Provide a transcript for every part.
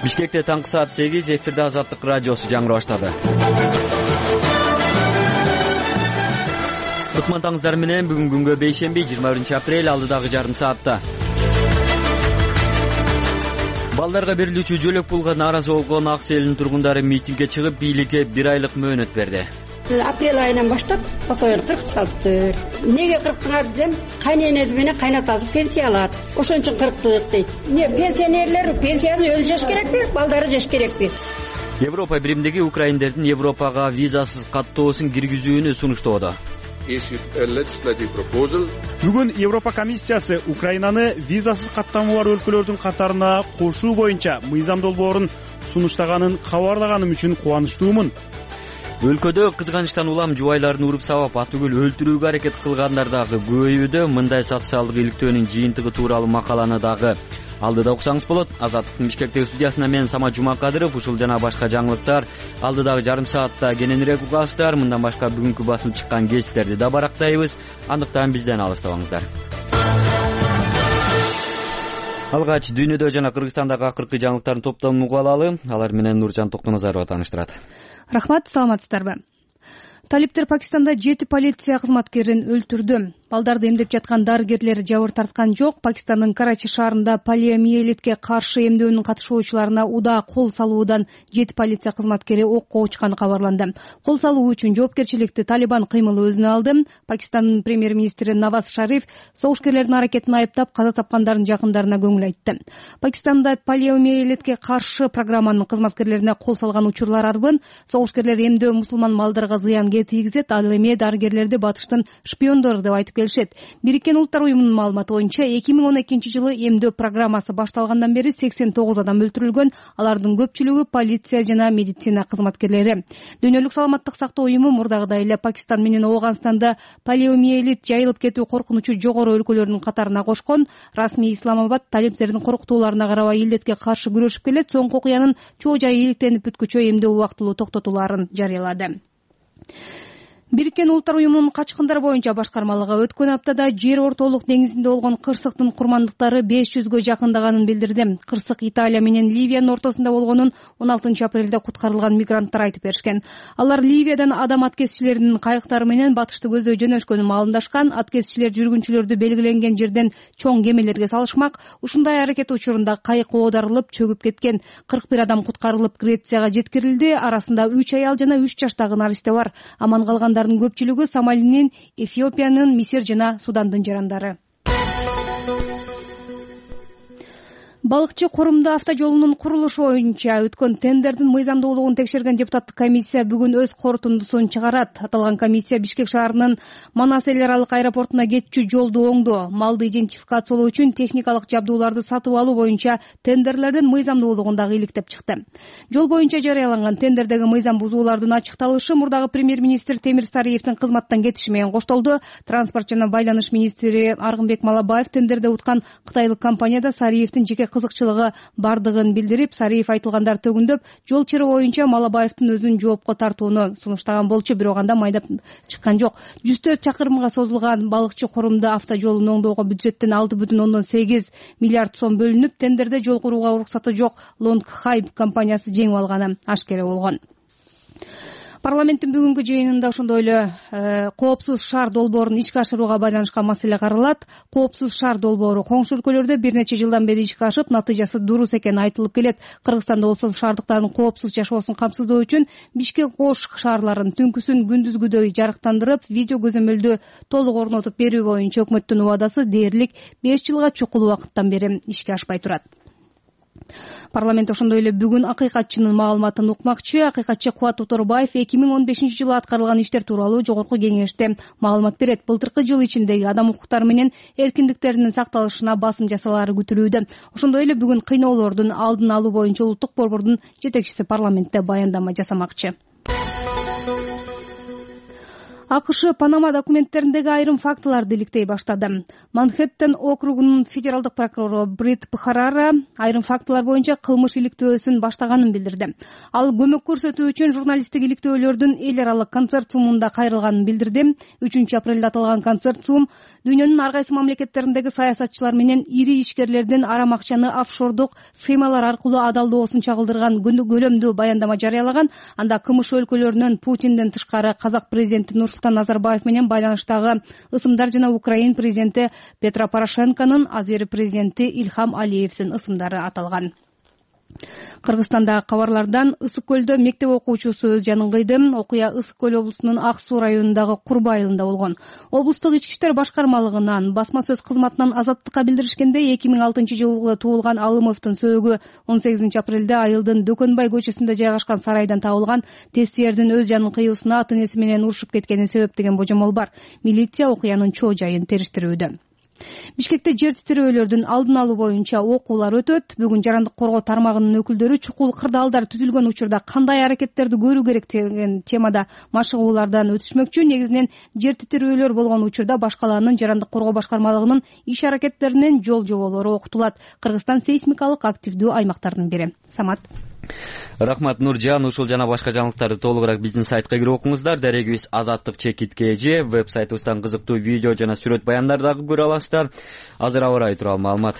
Бишкекте таңкы саат 8, эфирде Азаттык радиосу жаңырап баштады. Кутмандыңыздар менен бүгүн күнгө бейшемби 21 апрель алдыдагы жарым саатта. Балдарга берилүүчү жөлөк пулга нааразы болгон Ак Селдин тургундары митингге чыгып, бийликке 1 айлык мөөнөт берди. Апрель айынан баштап пособияны 40 салыптыр. Неге 40-тыңар десем, кайненеси менен кайнатасы пенсия алат. Ошон үчүн 40 дейт. Не пенсионерлер пенсиясын өзү жеш керекпи, балдары жеш керекпи? Европа биримдиги украиндердин Европага визасыз каттоосун киргизүүнү сунуштоодо. Бүгүн Европа комиссиясы Украинаны визасыз каттамы бар өлкөлөрдүн катарына кошуу боюнча мыйзам долбоорун сунуштаганын кабарлаганым үчүн кубанычтуумун. Өлкөдө кызганычтан улам жубайларын уруп сабап атүгүл өлтүрүүгө аракет кылгандар дагы көбөйүүдө. Мындай социалдык иликтөөнүн жыйынтыгы тууралуу макаланы дагы алдыда уксаңыз болот. Азаттыктын Бишкектеги студиясына мен Самат Жумакадыров. Ушул жана башка жаңылыктар алдыдагы жарым саатта кененирээк угасыздар. Мындан башка бүгүнкү басылып чыккан гезиттерди да барактайбыз. Андыктан бизден алыстабаңыздар. Алгач дүйнөдө жана Кыргызстандагы акыркы жаңылыктардын топтомун угуп алалы. Алар менен Нуржан Токтоназарова тааныштырат. Рахмат, саламатсыздарбы? Талиптер Пакистанда 7 полиция кызматкерин өлтүрдү. Балдарды эмдеп жаткан дарыгерлер жабыр тарткан жок. Пакистандын Карачи шаарында полиомиелитке каршы эмдөөнүн катышуучуларына удаа кол салуудан 7 полиция кызматкери окко учканы кабарланды. Кол салуу үчүн жоопкерчиликти Талибан кыймылы өзүнө алды. Пакистандын премьер-министри Наваз Шариф согушкерлердин аракетин айыптап, каза тапкандардын жакындарына көңүл айтты. Пакистанда полиомиелитке каршы программанын кызматкерлерине кол салган учурлар арбын. Согушкерлер эмдөө мусулман балдарга зыян тийгизет, ал эми дарыгерлерди батыштын шпиондору деп айтып келишет. Бириккен Улуттар уюмунун маалыматы боюнча 2012-жылы эмдөө программасы башталгандан бери 89 адам өлтүрүлгөн. Алардын көпчүлүгү полиция жана медицина кызматкерлери. Дүйнөлүк саламаттык сактоо уюму мурдагыдай эле Пакистан менен Ооганстанда полиомиелит жайылып кетүү коркунучу жогору өлкөлөрдүн катарына кошкон. Расмий Исламабад талиптердин коркутууларына карабай илдетке каршы күрөшүп келет. Соңку окуянын чоо жайы иликтенип бүткүчө эмдөө убактылуу токтотуларын жарыялады. Бириккен Улуттар уюмунун качкындар боюнча башкармалыгы өткөн аптада Жер ортолук деңизинде болгон кырсыктын курмандыктары 500гө жакындаганын билдирди. Кырсык Италия менен Ливиянын ортосунда болгонун 16 апрелде куткарылган мигранттар айтып беришкен. Алар Ливиядан адам аткезчилеринин кайыктары менен батышты көздөй жөнөшкөнүн маалымдашкан. Аткезчилер жүргүнчүлөрдү белгиленген жерден чоң кемелерге салышмак. Ушундай аракет учурунда кайык оодарылып чөгүп кеткен. 41 адам куткарылып Грецияга жеткирилди. Арасында 3 аял жана 3 жаштагы наристе бар. Аман калгандар көпчүлүгү Сомалинин, Эфиопиянын, Мисир жана Судандын жарандары. Балыкчы Корумду автожолунун курулушу боюнча өткөн тендердин мыйзамдуулугун текшерген депутаттык комиссия бүгүн өз корутундусун чыгарат. Аталган комиссия Бишкек шаарынын Манас эл аралык аэропортуна кетчү жолду оңдоо, малды идентификациялоо үчүн техникалык жабдууларды сатып алуу боюнча тендерлердин мыйзамдуулугун дагы иликтеп чыкты. Жол боюнча жарыяланган тендердеги мыйзам бузуулардын ачыкталышы мурдагы премьер-министр Темир Сариевдин кызматтан кетиши менен коштолду. Транспорт жана байланыш министри Аргынбек Малабаев тендерде уткан кытайлык компанияда Сариевдин жеке кызыкчылыгы бардыгын билдирип, Сариев айтылгандар төгүндөп, жол чыры боюнча Малабаевдин өзүн жоопко тартууну сунуштаган болчу, бирок анда майдап чыккан жок. 104 чакырымга созулган Балыкчы Корумду автожолун оңдоого бюджеттен 6,8 миллиард сом бөлүнүп, тендерде жол курууга уруксаты жок Long Hype компаниясы жеңип алганы ашкера болгон. Парламенттин бүгүнкү жыйынында ошондой эле коопсуз шаар долбоорун ишке ашырууга байланышкан маселе каралат. Коопсуз шаар долбоору коңшу өлкөлөрдө бир нече жылдан бери ишке ашып, натыйжасы дуруз экени айтылып келет. Кыргызстанда болсо шаардыктардын коопсуз жашоосун камсыздоо үчүн Бишкек Ош шаарларын түнкүсүн күндүзгүдөй жарыктандырып, видео көзөмөлдү толук орнотуп берүү боюнча өкмөттүн убадасы дээрлик 5 жылга чукул убакыттан бери ишке ашпай турат. Парламент ошондой эле бүгүн акыйкатчынын маалыматын укмакчы. Акыйкатчы Кубат Оторбаев 2015-жылы аткарылган иштер тууралуу жогорку кеңеште маалымат берет. Былтыркы жыл ичиндеги адам укуктары менен эркиндиктеринин сакталышына басым жасалаары күтүлүүдө. Ошондой эле бүгүн кыйноолордун алдын алуу боюнча улуттук борбордун жетекчиси парламентте баяндама жасамакчы. АКШ Панама документтериндеги айрым фактыларды иликтей баштады. Манхэттен округунун федералдык прокурору Брит Пхарара айрым фактылар боюнча кылмыш иликтөөсүн баштаганын билдирди. Ал көмөк көрсөтүү үчүн журналисттик иликтөөлөрдүн эл аралык консорциумунда кайрылганын билдирди. 3 апрелде аталган консорциум дүйнөнүн ар кайсы мамлекеттериндеги саясатчылар менен ири ишкерлердин арам акчаны офшордук схемалар аркылуу адалдоосун чагылдырган көлөмдүү баяндама жарыялаган. Анда КМШ өлкөлөрүнөн Путинден тышкары казак президенти Нурсултан Назарбаев менен байланыштагы ысымдар жана Украин президенти Петро Порошенконун азыр президенти Ильхам Алиевдин ысымдары аталган. Кыргызстандагы кабарлардан Ысык көлдө мектеп окуучусу өз жанын кыйды. Окуя Ысык көл облусунун Ак Суу районундагы Курба айылында болгон. Облустук ички иштер башкармалыгынан басма сөз кызматынан Азаттыкка билдиришкенде 2006-жылы туулган Алымовдун сөөгү 18 апрелде айылдын Дөкөнбай көчөсүндө жайгашкан сарайдан табылган. Тестиердин өз жанын кыюусуна ата энеси менен урушуп кеткени себеп деген божомол бар. Милиция окуянын чоо жайын териштирүүдө. Бишкекте жер титирөөлөрдүн алдын алуу боюнча окуулар өтөт. Бүгүн жарандык коргоо тармагынын өкүлдөрү чукул кырдаалдар түзүлгөн учурда кандай аракеттерди көрүү керек деген темада машыгуулардан өтүшмөкчү. Негизинен жер титирөөлөр болгон учурда башкалаанын жарандык коргоо башкармалыгынын иш аракеттеринин жол жоболору окутулат. Кыргызстан сейсмикалык активдүү аймактардын бири. Самат. Рахмат Нуржан. Ушул жана башка жаңылыктарды толугураак биздин сайтка кирип окуңуздар. Дарегибиз azattik.kg. Веб-сайтыбыздан кызыктуу видео жана сүрөт баяндарды дагы көрө аласыздар. Азыр аба ырайы тууралуу маалымат.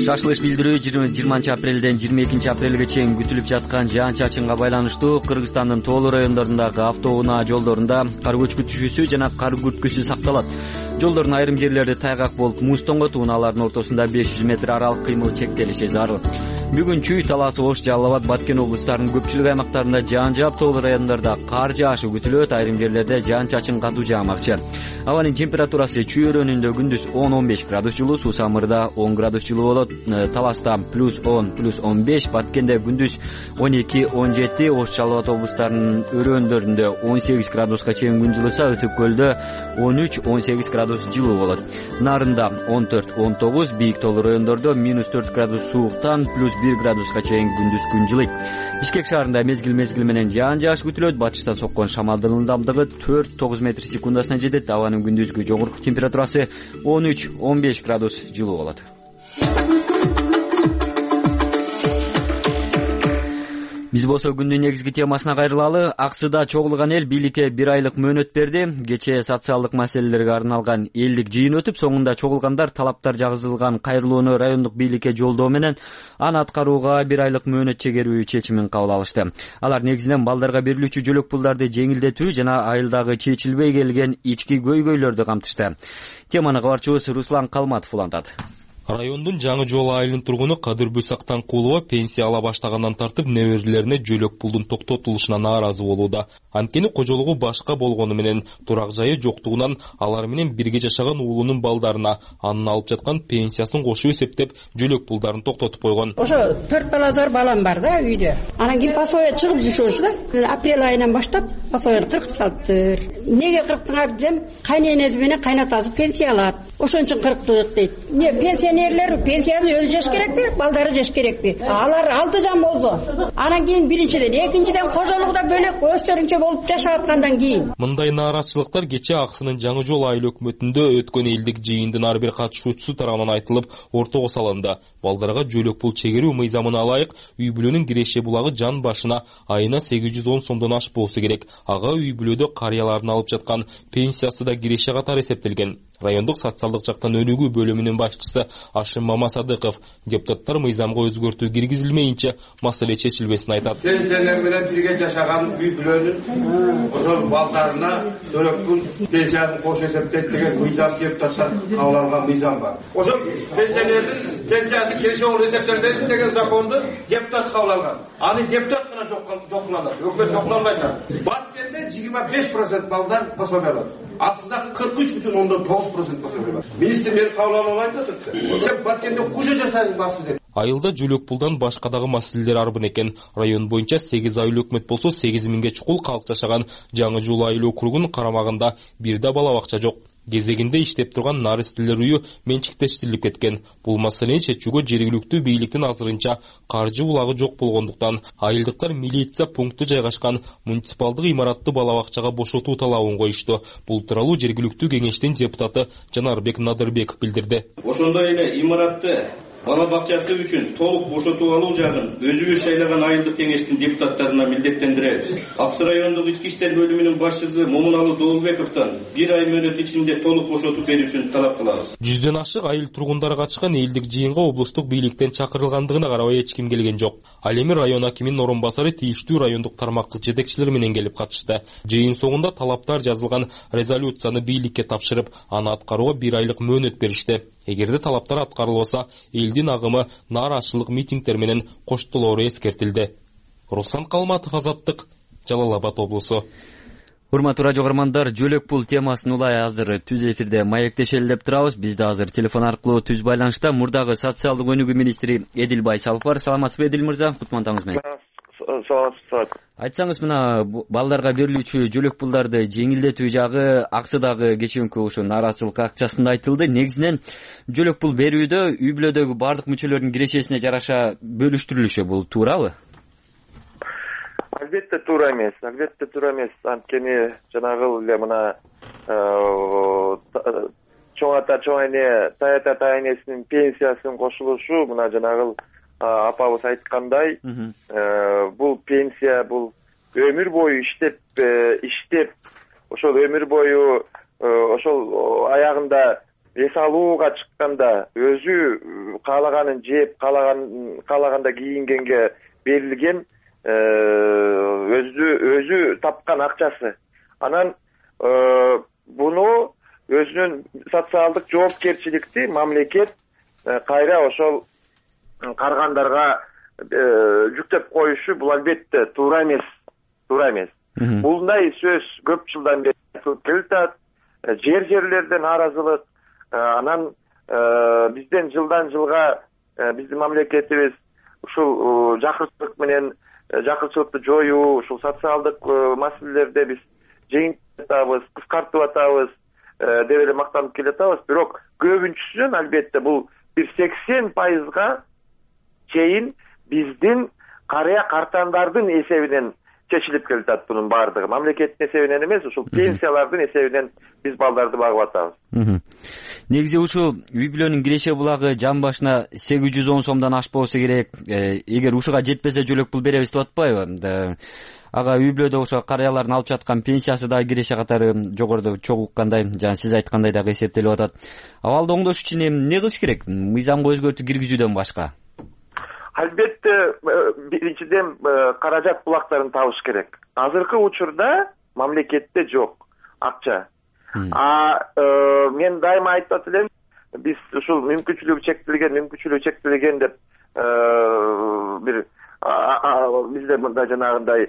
Шашылыш билдирүү 20 апрелден 22 апрелге чейин күтүлүп жаткан жаан-чачынга байланыштуу Кыргызстандын тоолуу райондорундагы автоунаа жолдорунда кар көчкү түшүүсү жана кар күрткүсү сакталат. Жолдордун айрым жерлерде тайгак болуп муз тоңот, унаалардын ортосунда 500 метр аралык кыймыл чектелиши зарыл. Бүгүн Чүй, Талас, Ош, Жалал Абад, Баткен облустарынын көпчүлүк аймактарында жаан жаап, тоолуу райондордо кар жаашы күтүлөт. Айрым жерлерде жаан-чачын катуу жаамакчы. Абанын температурасы Чүй өрөөнүндө күндүз 10-15 градус жылуу, Суу Самырда 10 градус жылуу болот. Таласта +10, +15, Баткенде күндүз 12-17, Ош, Жалал Абад облустарынын өрөөндөрүндө 18 градуска чейин күн жылыса, Ысык көлдө 13-18 градус жылуу болот. Нарында 14-19, бийик тоолуу райондордо -4 градус сууктан +1 градуска чейин күндүз күн жылыйт. Бишкек шаарында мезгил менен жаан жааш күтүлөт. Батыштан соккон шамалдын ылдамдыгы 4-9 метр секундасына жетет. Абанын күндүзгү жогорку температурасы 13-15 градус жылуу болот. Биз болсо күндүн негизги темасына кайрылалы. Аксыда чогулган эл бийликке 1 айлык мөөнөт берди. Кечээ социалдык маселелерге арналган элдик жыйын өтүп, соңунда чогулгандар талаптар жазылган кайрылууну райондук бийликке жолдоо менен аны аткарууга 1 айлык мөөнөт чегерүү чечимин кабыл алышты. Алар негизинен балдарга берилүүчү жөлөк пулдарды жеңилдетүү жана айылдагы чечилбей келген ички көйгөйлөрдү камтышты. Теманы кабарчыбыз Руслан Калматов улантат. Райондун Жаңы Жол айылынын тургуну Кадырбү Сактанкулова пенсия ала баштагандан тартып неберелерине жөлөк пулдун токтотулушуна нааразы болууда. Анткени кожолугу башка болгону менен турак жайы жоктугунан алар менен бирге жашаган уулунун балдарына анын алып жаткан пенсиясын кошуп эсептеп жөлөк пулдарын токтотуп койгон. Ошо 4 балазар балам бар да үйдө. Анан кийин пасоя чыгып жүрүшү да. Апрель айынан баштап пасояны кыркып салыптыр. Неге кырктыңар десем, кайненеси менен кайнатасы пенсия алат. Ошон үчүн кырктык дейт. Не пенсионерлер пенсияны өзү жеш керекпи, балдары жеш керекпи? Алар 6 жан болсо. Анан кийин биринчиден, экинчиден кожолугда бөлөк өздөрүнчө болуп жашап аткандан кийин. Мындай нааразычылыктар кечээ Аксынын Жаңы Жол айыл өкмөтүндө өткөн элдик жыйындын ар бир катышуучусу тарабынан айтылып, ортого салынды. Балдарга жөлөк пул чегерүү мыйзамына ылайык үй бүлөнүн киреше булагы жан башына айына 810 сомдон ашпоосу керек. Ага үй бүлөдө карыялардын алып жаткан пенсиясы да киреше катары эсептелген. Райондук социалдык жактан өнүгүү бөлүмүнүн башчысы Ашим Мамасадыков депутаттар мыйзамга өзгөртүү киргизилмейинче маселе чечилбесин айтат. Пенсионер менен бирге жашаган үй бүлөнүн ошол балдарына жөлөк пул пенсиясын кош эсептейт деген мыйзам депутаттар кабыл алган мыйзам бар. Ошол пенсионердин пенсиясы киреше болуп эсептелбесин деген законду депутат кабыл алган. Аны депутат гана жокуланат, өкмөт жокуланбайт. Баткенде 25% балдар пособие алат. Аксыда 43,9% пособие алат. Министр мени кабыл албайт атат. Сен Баткенде куже жасайсың баксы деп. Айылда жөлөк пулдан башка дагы маселелер арбын экен. Район боюнча 8 айыл өкмөт болсо 8000ге чукул калк жашаган Жаңы Жол айыл округунун карамагында бир да бала бакча жок. кезегинде иштеп турган наристилер үйү менчиктештирилип кеткен. Бул маселени чечүүгө жергиликтүү бийликтин азырынча каржы булагы жок болгондуктан айылдыктар милиция пункту жайгашкан муниципалдык имаратты бала бакчага бошотуу талабын коюшту. Бул тууралуу жергиликтүү кеңештин депутаты Жанарбек Надырбек билдирди. Ошондой эле имаратты бала бакчасы үчүн толук бошотуп алуу жагын өзүбүз шайлаган айылдык кеңештин депутаттарына милдеттендиребиз. Аксы райондук ички иштер бөлүмүнүн башчысы Момуналуу Доолбековдон 1 ай мөөнөт ичинде толук бошотуп берүүсүн талап кылабыз. 100дөн ашык айыл тургундары катышкан элдик жыйынга облустук бийликтен чакырылгандыгына карабай эч ким келген жок. Ал эми район акиминин орун басары тийиштүү райондук тармактык жетекчилер менен келип катышты. Жыйын соңунда талаптар жазылган резолюцияны бийликке тапшырып, аны аткарууга 1 айлык мөөнөт беришти. Эгерде талаптар аткарылбаса, элдин агымы нааразычылык митингдер менен коштолоору эскертилди. Руслан Калматов, Азаттык, Жалал Абад облусу. Урматтуу радио көрөрмандар, жөлөк пул темасын улай азыр түз эфирде маектешели деп турабыз. Бизде азыр телефон аркылуу түз байланышта мурдагы социалдык өнүгүү министри Эдил Байсалов бар. Саламатсызбы, Эдил мырза? Кутмандаңыз менен. Саламатсызбы. Айтсаңыз, мына балдарга берилүүчү жөлөк пулдарды жеңилдетүү жагы аксыдагы кечээинки ошо нааразычылык акциясында айтылды. Негизинен жөлөк пул берүүдө үй бүлөдөгү бардык мүчөлөрдүн кирешесине жараша бөлүштүрүлүшү, бул туурабы? Албетте туура эмес. Анткени жанагы эле мына чоң ата чоң эне, тай ата тай энесинин пенсиясынын кошулушу, мына жанагы апабыз айткандай, бул пенсия, бул өмүр бою иштеп, ошол өмүр бою ошол аягында эс алууга чыкканда өзү каалаганын жеп, каалаганда кийингенге берилген өзү тапкан акчасы. Анан буну өзүнүн социалдык жоопкерчиликти мамлекет кайра ошол каргандарга жүктөп коюшу, бул албетте туура эмес. Булдай сөз көп жылдан бери келип атат. Жерлерде нааразылык, анан бизден жылдан жылга биздин мамлекетибиз ушул жакырчылык менен жакырчылыкты жоюу, ушул социалдык маселелерде биз жеңилтип атабыз, кыскартып атабыз деп эле мактанып келатабыз. Бирок көбүнчүсүнөн албетте бул бир 80% чейин биздин карыя картандардын эсебинен чечилип келатат. Бунун баардыгы мамлекеттин эсебинен эмес, ушул пенсиялардын эсебинен биз балдарды багып атабыз. Негизи ушул үй бүлөнүн киреше булагы жан башына 810 сомдон ашпоосу керек. Эгер ушуга жетпесе жөлөк пул беребиз деп атпайбы? Ага үй бүлөдө ошо карыялардын алып жаткан пенсиясы да киреше катары жогоруда чогуу уккандай, жана сиз айткандай дагы эсептелип атат. Абалды оңдош үчүн эмне кылыш керек? Мыйзамга өзгөртүү киргизүүдөн башка? Албетте биринчиден каражат булактарын табыш керек. Азыркы учурда мамлекетте жок акча. Мен дайыма айтып элем, биз ушул мүмкүнчүлүгү чектелген деп бир бизде мындай жанагындай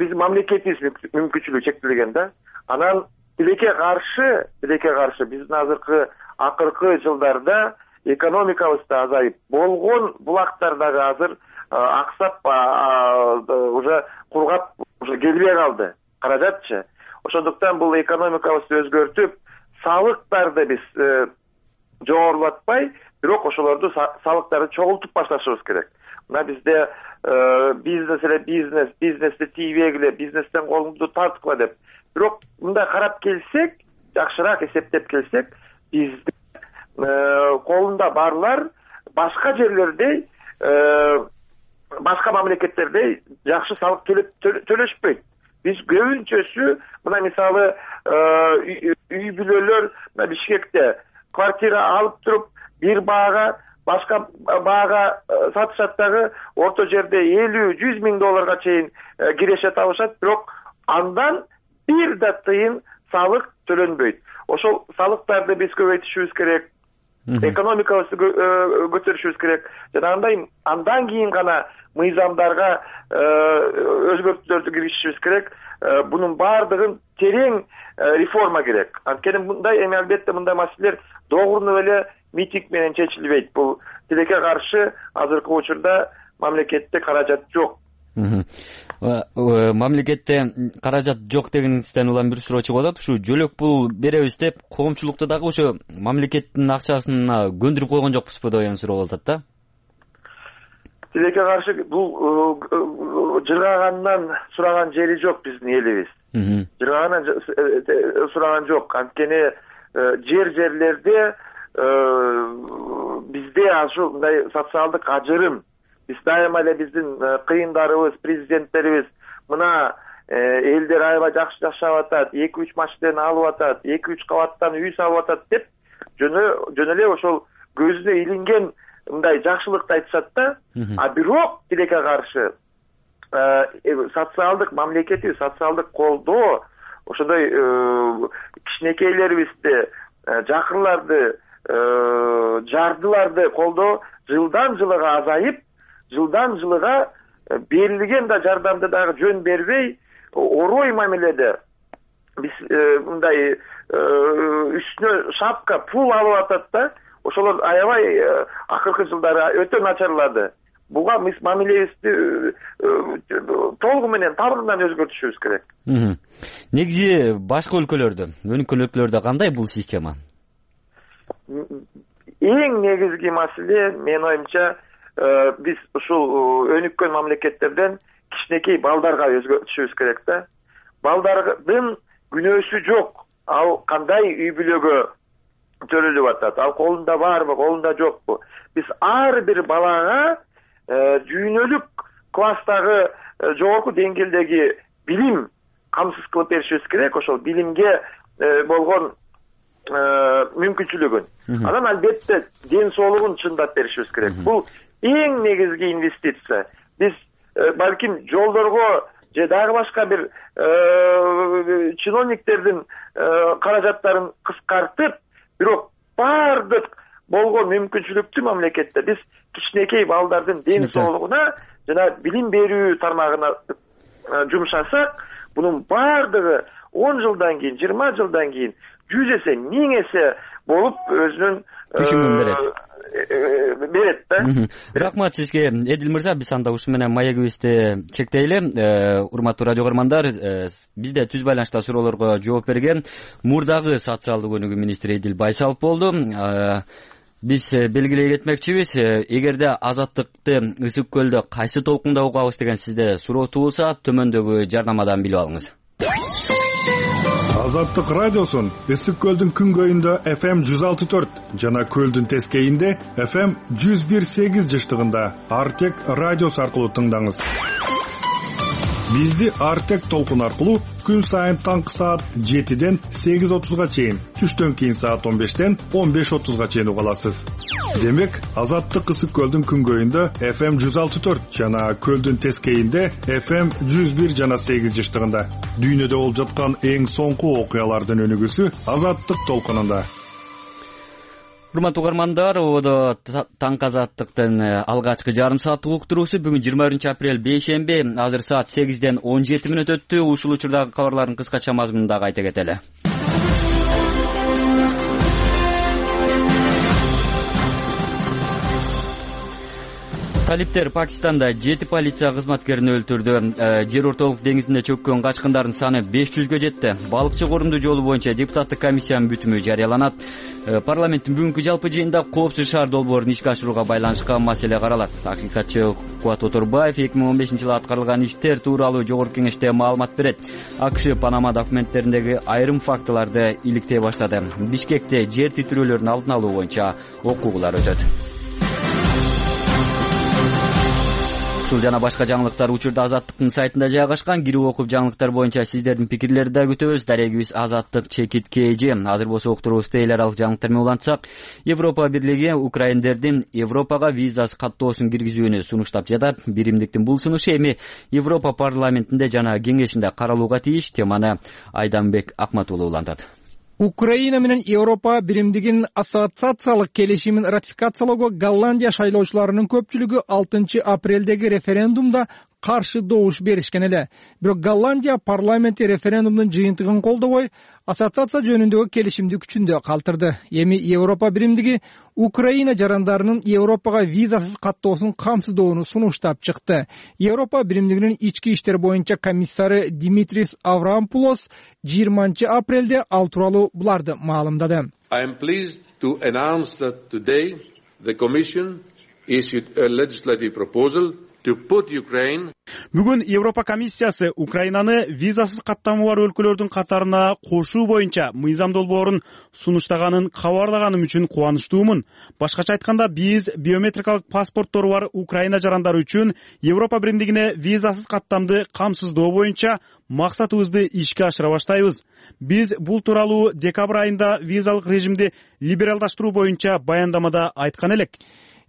биздин мамлекетибиз мүмкүнчүлүгү чектелген да. Анан тилекке каршы биздин акыркы жылдарда экономикабыз да азайып, болгон булактар дагы азыр аксап, уже кургап, уже келбей калды. Каражатчы. Ошондуктан бул экономикабызды өзгөртүп, салыктарды биз жогорулатпай, бирок ошолорду салыктарды чогултуп башташыбыз керек. Мына бизде бизнести тийбегиле, бизнестен колуңду тарткыла деп. Бирок мындай карап келсек, жакшыраак эсептеп келсек, биздин колунда барлар башка жерлердей, башка мамлекеттердей жакшы салык төлөшпөйт. Биз көбүнчөсү, мына мисалы үй бүлөлөр Бишкекте квартира алып туруп, бир баага башка баага сатышат дагы, орто жерде 50-100 миң долларга чейин киреше табышат, бирок андан бир да тыйын салык төлөнбөйт. Ошол салыктарды биз көбөйтүшүбүз керек. Экономикабызды көтөрүшүбүз керек. Жанагындай андан кийин гана мыйзамдарга өзгөртүүлөрдү киргизишибиз керек. Бунун баардыгын терең реформа керек. Анткени мындай эми албетте мындай маселелер догурунуп эле митинг менен чечилбейт. Бул тилекке каршы азыркы учурда мамлекетте каражат жок. Мамлекетте каражат жок дегениңизден улам бир суроо чыгып атат. Ушу жөлөк пул беребиз деп коомчулукту дагы ошо мамлекеттин акчасына көндүрүп койгон жокпузбу деген суроо болуп атат да. Тилекке каршы бул жыргагандан сураган жери жок биздин элибиз. Жыргагандан сураган жок. Анткени жерлерде бизде ушундай социалдык ажырым, биз дайыма эле биздин кыйындарыбыз, президенттерибиз мына элдер аябай жакшы жашап атат, 2-3 машина алып атат, 2-3 кабаттан үй салып атат деп жөн эле ошол көзүнө илинген мындай жакшылыкты айтышат да. А бирок тилекке каршы социалдык мамлекеттик социалдык колдоо ошондой кичинекейлерибизди, жакырларды, жардыларды колдоо жылдан жылга азайып, жылдан жылга берилген да жардамды дагы жөн бербей, орой мамиледе биз мындай үстүнө шапка пул алып атат да. Ошолор аябай акыркы жылдары өтө начарлады. Буга биз мамилебизди толугу менен табынан өзгөртүшүбүз керек. Негизи башка өлкөлөрдө, өнүккөн өлкөлөрдө кандай бул система? Эң негизги маселе менин оюмча биз ушул өнүккөн мамлекеттерден кичинекей балдарга өзгөртүшүбүз керек да. Балдардын күнөөсү жок. Ал кандай үй бүлөгө төрөлүп атат? Ал колунда барбы, колунда жокпу? Биз ар бир балага жүйнөлүк класстагы жогорку деңгээлдеги билим камсыз кылып беришибиз керек. Ошол билимге болгон мүмкүнчүлүгүн. Анан албетте ден соолугун чындап беришибиз керек. Бул эң негизги инвестиция. Биз балким жолдорго же дагы башка бир чиновниктердин каражаттарын кыскартып, бирок бардык болгон мүмкүнчүлүктү мамлекетте биз кичинекей балдардын ден соолугуна жана билим берүү тармагына жумшасак, бунун бардыгы 10 жылдан кийин, 20 жылдан кийин 100 эсе, 1000 эсе болуп өзүнүн берет да. Рахмат сизге, Эдил мырза. Биз анда ушу менен маегибизди чектейли. Урматтуу радио көрөрмандар, бизде түз байланышта суроолорго жооп берген мурдагы социалдык өнүгүү министри Эдил Байсалов болду. Биз белгилей кетмекчибиз, эгерде азаттыкты Ысык көлдө кайсы толкунда угабыз деген сизде суроо туулса, төмөндөгү жарнамадан билип алыңыз. Азаттык радиосун Ысык көлдүн күнгөйүндө FM 106.4 жана көлдүн тескейинде FM 101.8 жыштыгында Артек радиосу аркылуу тыңдаңыз. Бизди Артек толкун аркылуу күн сайын таңкы саат 7ден 8:30га чейин, түштөн кийин саат 15ден 15:30га чейин уга аласыз. Демек, Азаттык Ысык көлдүн күнгөйүндө FM 106.4 жана көлдүн тескейинде FM 101 жана 8 жыштыгында. Дүйнөдө болуп жаткан эң соңку окуялардын өнүгүүсү Азаттык толкунунда. Урматтуу көрөрмандар, ободо таңкы азаттыктын алгачкы жарым сааттык уктуруусу бүгүн 20 апрель бейшемби, азыр саат 8ден 17 мүнөт өттү. Ушул учурдагы кабарлардын кыскача мазмунун дагы айта кетели. Талиптер Пакистанда 7 полиция кызматкерин өлтүрдү. Жер ортолук деңизинде чөккөн качкындардын саны 500гө жетти. Балыкчы корунду жолу боюнча депутаттык комиссиянын бүтүмү жарыяланат. Парламенттин бүгүнкү жалпы жыйынында коопсуз шаар долбоорун ишке ашырууга байланышкан маселе каралат. Акыйкатчы Кубат Оторбаев 2015-жылы аткарылган иштер тууралуу жогорку кеңеште маалымат берет. АКШ Панама документтериндеги айрым фактыларды иликтей баштады. Бишкекте жер титирөөлөрүн алдын алуу боюнча окуулар өтөт. Ушул жана башка жаңылыктар учурда Азаттыктын сайтында жайгашкан. Кирип окуп жаңылыктар боюнча сиздердин пикирлерди да күтөбүз. Дарегибиз Азаттык _KG. Азыр болсо уктуруубузду эл аралык жаңылыктар менен улантсак, Европа бирлиги украиндердин Европага визасыз каттоосун киргизүүнү сунуштап жатат. Биримдиктин бул сунушу эми Европа парламентинде жана кеңешинде каралууга тийиш. Теманы Айданбек Акматуулу улантат. Украина менен Европа биримдигинин ассоциациялык келишимин ратификациялоого Голландия шайлоочуларынын көпчүлүгү 6 апрелдеги референдумда каршы добуш беришкен эле. Бирок Голландия парламенти референдумдун жыйынтыгын колдобой, ассоциация жөнүндөгү келишимди күчүндө калтырды. Эми Европа биримдиги Украина жарандарынын Европага визасыз каттоосун камсыздоону сунуштап чыкты. Европа биримдигинин ички иштер боюнча комиссары Димитрис Аврамопулос 20-апрелде ал тууралуу буларды маалымдады. I am pleased to announce that today the Commission issued a legislative proposal to put Ukraine. Бүгүн Европа комиссиясы Украинаны визасыз каттамы бар өлкөлөрдүн катарына кошуу боюнча мыйзам долбоорун сунуштаганын кабарлаганым үчүн кубанычтуумун. Башкача айтканда, биз биометрикалык паспорттору бар Украина жарандары үчүн Европа биримдигине визасыз каттамды камсыздоо боюнча максатыбызды ишке ашыра баштайбыз. Биз бул тууралуу декабрь айында визалык режимди либералдаштыруу боюнча баяндамада айткан элек.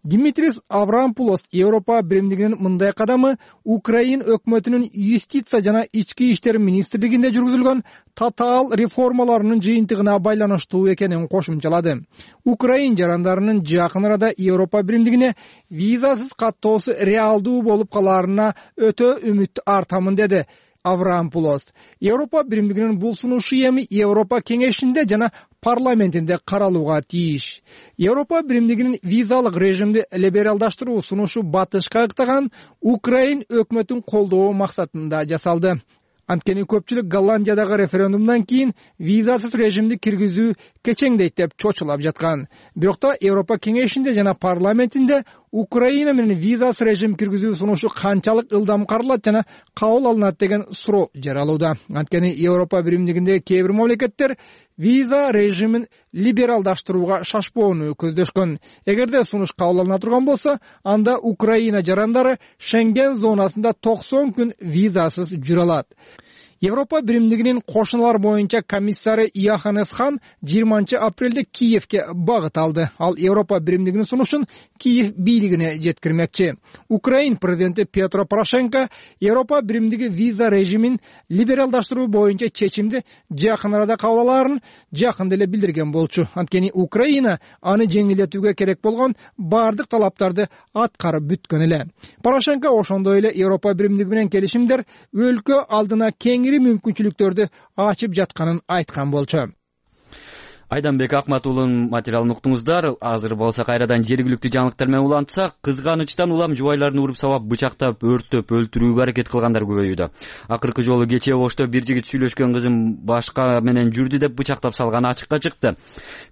Димитрис Аврамопулос Европа биримдигинин мындай кадамы Украин өкмөтүнүн юстиция жана ички иштер министрлигинде жүргүзүлгөн татаал реформаларынын жыйынтыгына байланыштуу экенин кошумчалады. Украин жарандарынын жакын арада Европа биримдигине визасыз каттоосу реалдуу болуп калаарына өтө үмүт артамын, деди Аврамопулос. Европа биримдигинин бул сунушу эми Европа кеңешинде жана парламентинде каралууга тийиш. Европа биримдигинин визалык режимди либералдаштыруу сунушу батышка ыктаган Украин өкмөтүн колдоо максатында жасалды. Анткени көпчүлүк Голландиядагы референдумдан кийин визасыз режимди киргизүү кечеңдейт деп чочулап жаткан. Бирок та Европа кеңешинде жана парламентинде Украина менен визасыз режим киргизүү сунушу канчалык ылдам каралат жана кабыл алынат деген суроо жаралууда. Анткени Европа биримдигиндеги кээ бир мамлекеттер виза режимин либералдаштырууга шашпоону көздөшкөн. Эгерде сунуш кабыл алына турган болсо, анда Украина жарандары Шенген зонасында 90 күн визасыз жүрө алат. Европа биримдигинин кошуналар боюнча комиссары Йоханнес Хан 20-апрелде Киевке багыт алды. Ал Европа биримдигинин сунушун Киев бийлигине жеткирмекчи. Украин президенти Петро Порошенко Европа биримдиги виза режимин либералдаштыруу боюнча чечимди жакын арада кабыл алаарын жакында эле билдирген болчу. Анткени Украина аны жеңилдетүүгө керек болгон бардык талаптарды аткарып бүткөн эле. Порошенко ошондой эле Европа биримдиги менен келишимдер өлкө алдына кеңири мүмкүнчүлүктөрдү ачып жатканын айткан болчу. Айданбек Акматуулунун материалын уктуңуздар. Азыр болсо кайрадан жергиликтүү жаңылыктар менен улантсак, кызганычтан улам жубайларын уруп сабап, бычактап, өрттөп, өлтүрүүгө аракет кылгандар көбөйүүдө. Акыркы жолу кечээ Ошто бир жигит сүйлөшкөн кызын башка менен жүрдү деп бычактап салганы ачыкка чыкты.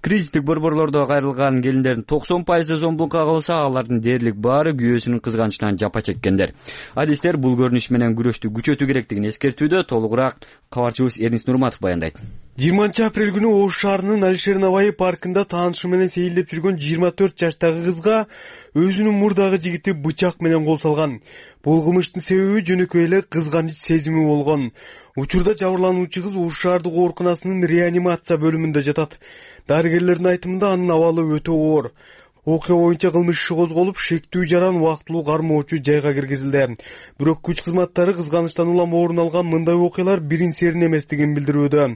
Кризистик борборлордо кайрылган келиндердин 90% зомбулукка кабылса, алардын дээрлик баары күйөөсүнүн кызганычынан жапа чеккендер. Адистер бул көрүнүш менен күрөштү күчөтүү керектигин эскертүүдө. Толугураак кабарчыбыз Эрнис Нурматов баяндайт. 20-апрель күнү Ош шаарынын Алишер Наваи паркында таанышы менен сейилдеп жүргөн 24 жаштагы кызга өзүнүн мурдагы жигити бычак менен кол салган. Бул кылмыштын себеби жөнөкөй эле кызганыч сезими болгон. Учурда жабырлануучу кыз Ош шаардык ооруканасынын реанимация бөлүмүндө жатат. Дарыгерлердин айтымында анын абалы өтө оор. Окуя боюнча кылмыш иши козголуп, шектүү жаран убактылуу кармоочу жайга киргизилди. Бирок күч кызматтары кызганычтан улам орун алган мындай окуялар биринчисерин эместигин билдирүүдө.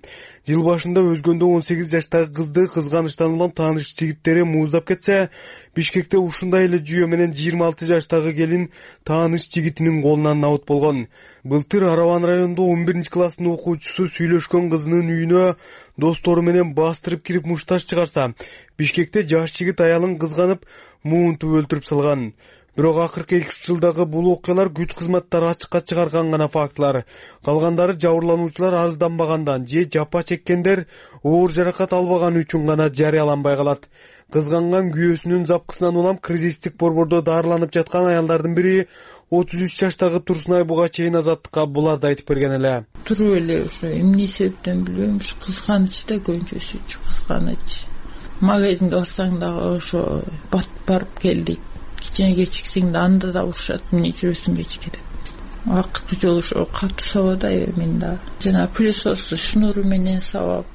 Жыл башында өзгөндө 18 жаштагы кызды кызганычтан улам тааныш жигиттери мууздап кетсе, Бишкекте ушундай эле жүйө менен 26 жаштагы келин тааныш жигитинин колунан набыт болгон. Былтыр Араван районунда 11-класстын окуучусу сүйлөшкөн кызынын үйүнө достору менен бастырып кирип мушташ чыгарса, Бишкекте жаш жигит аялын кызганып, муунтуп өлтүрүп салган. Бирок акыркы 2-3 жылдагы бул окуялар күч кызматтары ачыкка чыгарган гана фактылар. Калгандары жабырлануучулар арызданбагандан же жапа чеккендер оор жаракат албаганы үчүн гана жарыяланбай калат. Кызганган күйөөсүнүн запкысынан улам кризистик борбордо дарыланып жаткан аялдардын бири 33 жаштагы Турсунай буга чейин азаттыкка буларды айтып берген эле. Туруп эле ошо эмне себептен билбейм, кызганыч да көбүнчөсү кызганыч. Магазинде барсаң дагы ошо барып келдик. Кичине кечиксең да анда да урушат, эмне жүрөсүң кечке деп. Акыркы жолу ошо катуу сабада мен да. Жана пылесос шнуру менен сабап,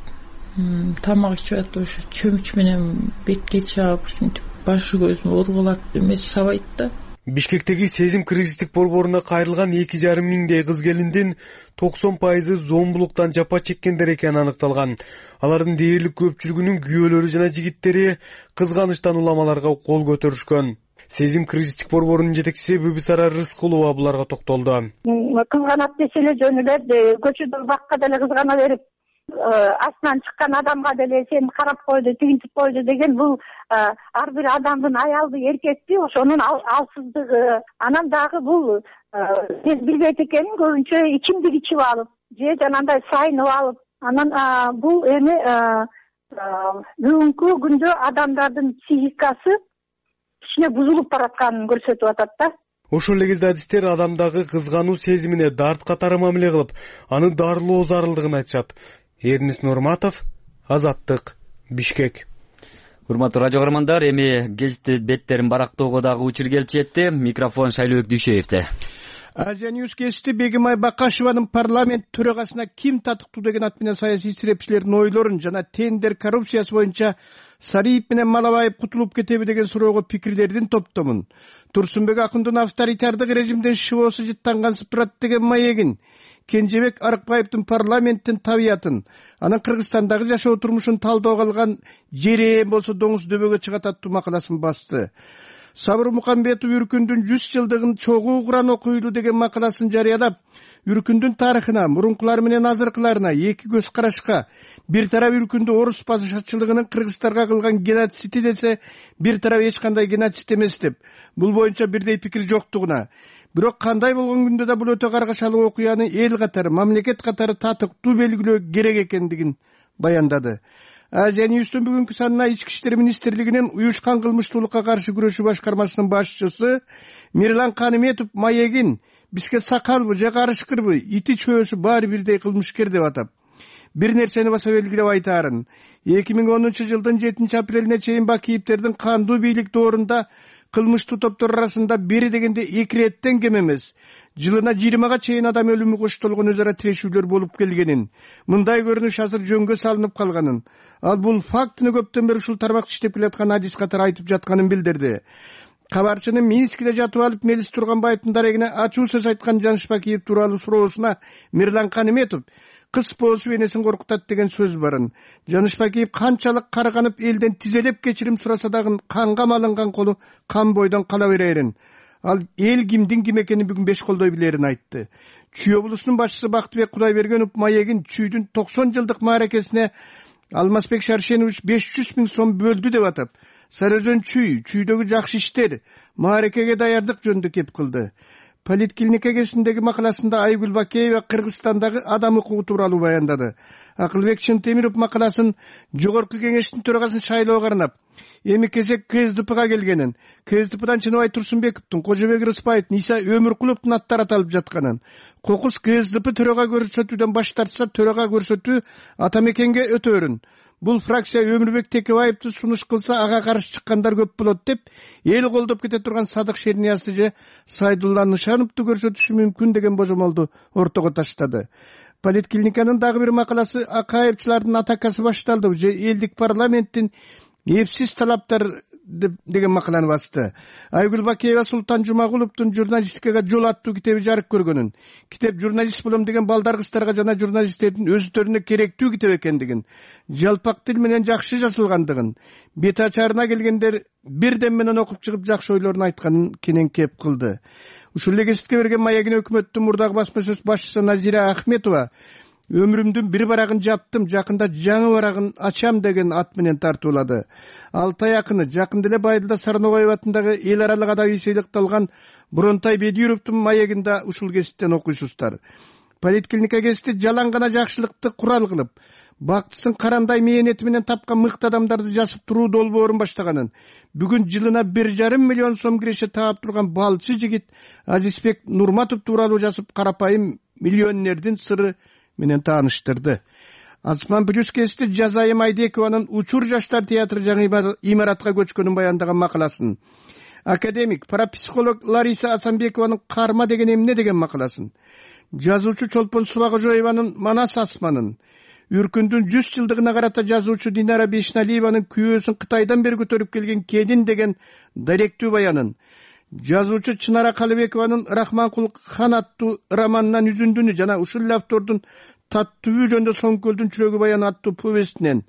тамак ичип атып ошо чөмүч менен бетке чаап, ушинтип башы көзүн ургулап эмес сабайт да. Бишкектеги Сезим кризистик борборуна кайрылган 2,5 миңдей кыз келиндин 90% зомбулуктан жапа чеккендер экени аныкталган. Алардын дээрлик көпчүлүгүнүн күйөөлөрү жана жигиттери кызганычтан уламаларга кол көтөрүшкөн. Сезим кризистик борборунун жетекчиси Бүбүсара Рыскулова буларга токтолду. Кызганат десе эле жөн эле, көчөдө бакка деле кызгана берип, астынан чыккан адамга деле сени карап койду, тигинтип койду деген бул ар бир адамдын аялды, эркекти ошонун алсыздыгы. Анан дагы бул биз билбейт экенин көбүнчө ичимдик ичип алып, же жанагындай сайынып алып, анан бул эми бүгүнкү күндө адамдардын психикасы кичине бузулуп баратканын көрсөтүп атат да. Ошол эле кезде адистер адамдагы кызгануу сезимине дарт катары мамиле кылып, аны дарылоо зарылдыгын айтышат. Эрнис Нурматов, Азаттык, Бишкек. Урматтуу радио көрөрмандар, эми гезит беттерин барактоого дагы учур келип жетти. Микрофон Шайлообек Дүйшеевде. Азия Ньюс гезити Бегимай Бакашеванын парламент төрагасына ким татыктуу деген ат менен саясий исрепчилердин ойлорун жана тендер коррупциясы боюнча Сариев менен Малабаев кутулуп кетеби деген суроого пикирлердин топтомун. Турсунбек Акындын авторитардык режимдин шыбоосу жыттангансып турат деген маегин, Кенжебек Арыкбаевдин парламенттин табиятын, анан Кыргызстандагы жашоо турмушун талдоого алган жере болсо доңуз дөбөгө чыгат аттуу макаласын басты. Сабыр Мукамбетов Үркүндүн 100 жылдыгын чогуу куран окуйлу деген макаласын жарыялап, Үркүндүн тарыхына, мурункулары менен азыркыларына эки көз карашка, бир тарап Үркүндү орус башачылыгынын кыргыздарга кылган геноциди десе, бир тарап эч кандай геноцид эмес деп, бул боюнча бирдей пикир жоктугуна. Бирок кандай болгон күндө да бул өтө каргашалуу окуяны эл катары, мамлекет катары татыктуу белгилөө керек экендигин баяндады. Азия Ньюстун бүгүнкү санына Ички иштер министрлигинин уюшкан кылмыштуулукка каршы күрөшүү башкармасынын башчысы Мирлан Каныметов маегин бизге сакалбы же карышкырбы, ити чөөсү баары бирдей кылмышкер деп атап, бир нерсени баса белгилеп айтаарын. 2010 жылдын 7 апрелине чейин Бакиевтердин кандуу бийлик доорунда кылмыштуу топтор арасында бери дегенде 2 реттен кем эмес, жылына 20га чейин адам өлүмү коштолгон өз ара тирешүүлөр болуп келгенин, мындай көрүнүш азыр жөнгө салынып калганын, ал бул фактыны көптөн бери ушул тармакта иштеп келаткан адис катары айтып жатканын билдирди. Кабарчынын Минскиде жатып алып Мелис Турганбаевдин дарегине ачуу сөз айткан Жаныш Бакиев тууралуу суроосуна Мирлан Каныметов кыз поосу энесин коркутат деген сөз барын. Жаныш Бакиев канчалык карганып элден тизелеп кечирим сураса дагы канга малынган колу кан бойдон кала берерин. Ал эл кимдин ким экенин бүгүн 5 колдой билерин айтты. Чүй облусунун башчысы Бактыбек Кудайбергенов маегин Чүйдүн 90 жылдык мааракесине Алмазбек Шаршенович 500 000 сом бөлдү деп атап, Сарыөзөн Чүйдөгү жакшы иштер, мааракеге даярдык жөнүндө кеп кылды. Политклиника кезиндеги макаласында Айгүл Бакеева Кыргызстандагы адам укугу тууралуу баяндады. Акылбек Чынтемиров макаласын Жогорку кеңештин төрагасын шайлоого арнап, эми кезек КСДПга келгенин, КСДПдан Чыныбай Турсунбековдун, Кожобек Рыспаевдин, Иса Өмүркуловдун аттары аталып жатканын, кокус КСДП төрага көрсөтүүдөн баш тартса, төрага көрсөтүү Атамекенге өтөөрүн, бул фракция Өмүрбек Текебаевди сунуш кылса ага каршы чыккандар көп болот деп, эл колдоп кете турган Садык Шерниязды же Сайдулла Нышановду көрсөтүшү мүмкүн деген божомолду ортого таштады. Политклиниканын дагы бир макаласы Акаевчылардын атакасы башталды же элдик парламенттин эпсиз талаптар деген макаланы басты. Айгүл Бакеева Султан Жумагуловдун журналистикага жол аттуу китеби жарык көргөнүн, китеп журналист болом деген балдар кыздарга жана журналисттердин өзүлөрүнө керектүү китеп экендигин, жалпак тил менен жакшы жазылгандыгын, бет ачарына келгендер бирден менен окуп чыгып жакшы ойлорун айтканын кенен кеп кылды. Ушул эле гезитке берген маегин өкмөттүн мурдагы басма сөз башчысы Назира Ахметова өмүрүмдүн бир барагын жаптым, жакында жаңы барагын ачам деген ат менен тартуулады. Алтай акыны жакын деле Байдылда Сарнобаев атындагы эл аралык адабий сыйлыкталган Бронтай Бедюровдун маегинде ушул гезиттен окуйсуздар. Политклиника гезити жалаң гана жакшылыкты курал кылып, бактысын карандай мээнети менен тапкан мыкты адамдарды жасып туруу долбоорун баштаганын, бүгүн жылына 1,5 миллион сом киреше таап турган балчы жигит Азизбек Нурматов тууралуу жазып, карапайым миллионердин сыры менен тааныштырды. Асман плюс гезити Жазайым Айдекованын Учур жаштар театры жаңы имаратка көчкөнүн баяндаган макаласын, академик, парапсихолог Лариса Асанбекованын Карма деген эмне деген макаласын, жазуучу Чолпон Субагожоеванын Манас асманын, Үркүндүн 100 жылдыгына карата жазуучу Динара Бешналиеванын күйөөсүн Кытайдан бери көтөрүп келген Кедин деген даректүү баянын, жазуучу Чынара Калыбекованын Рахманкул хан аттуу романынан үзүндүнү жана ушул эле автордун Таттуу жөнүндө Соңкөлдүн чүрөгү баян аттуу повестинен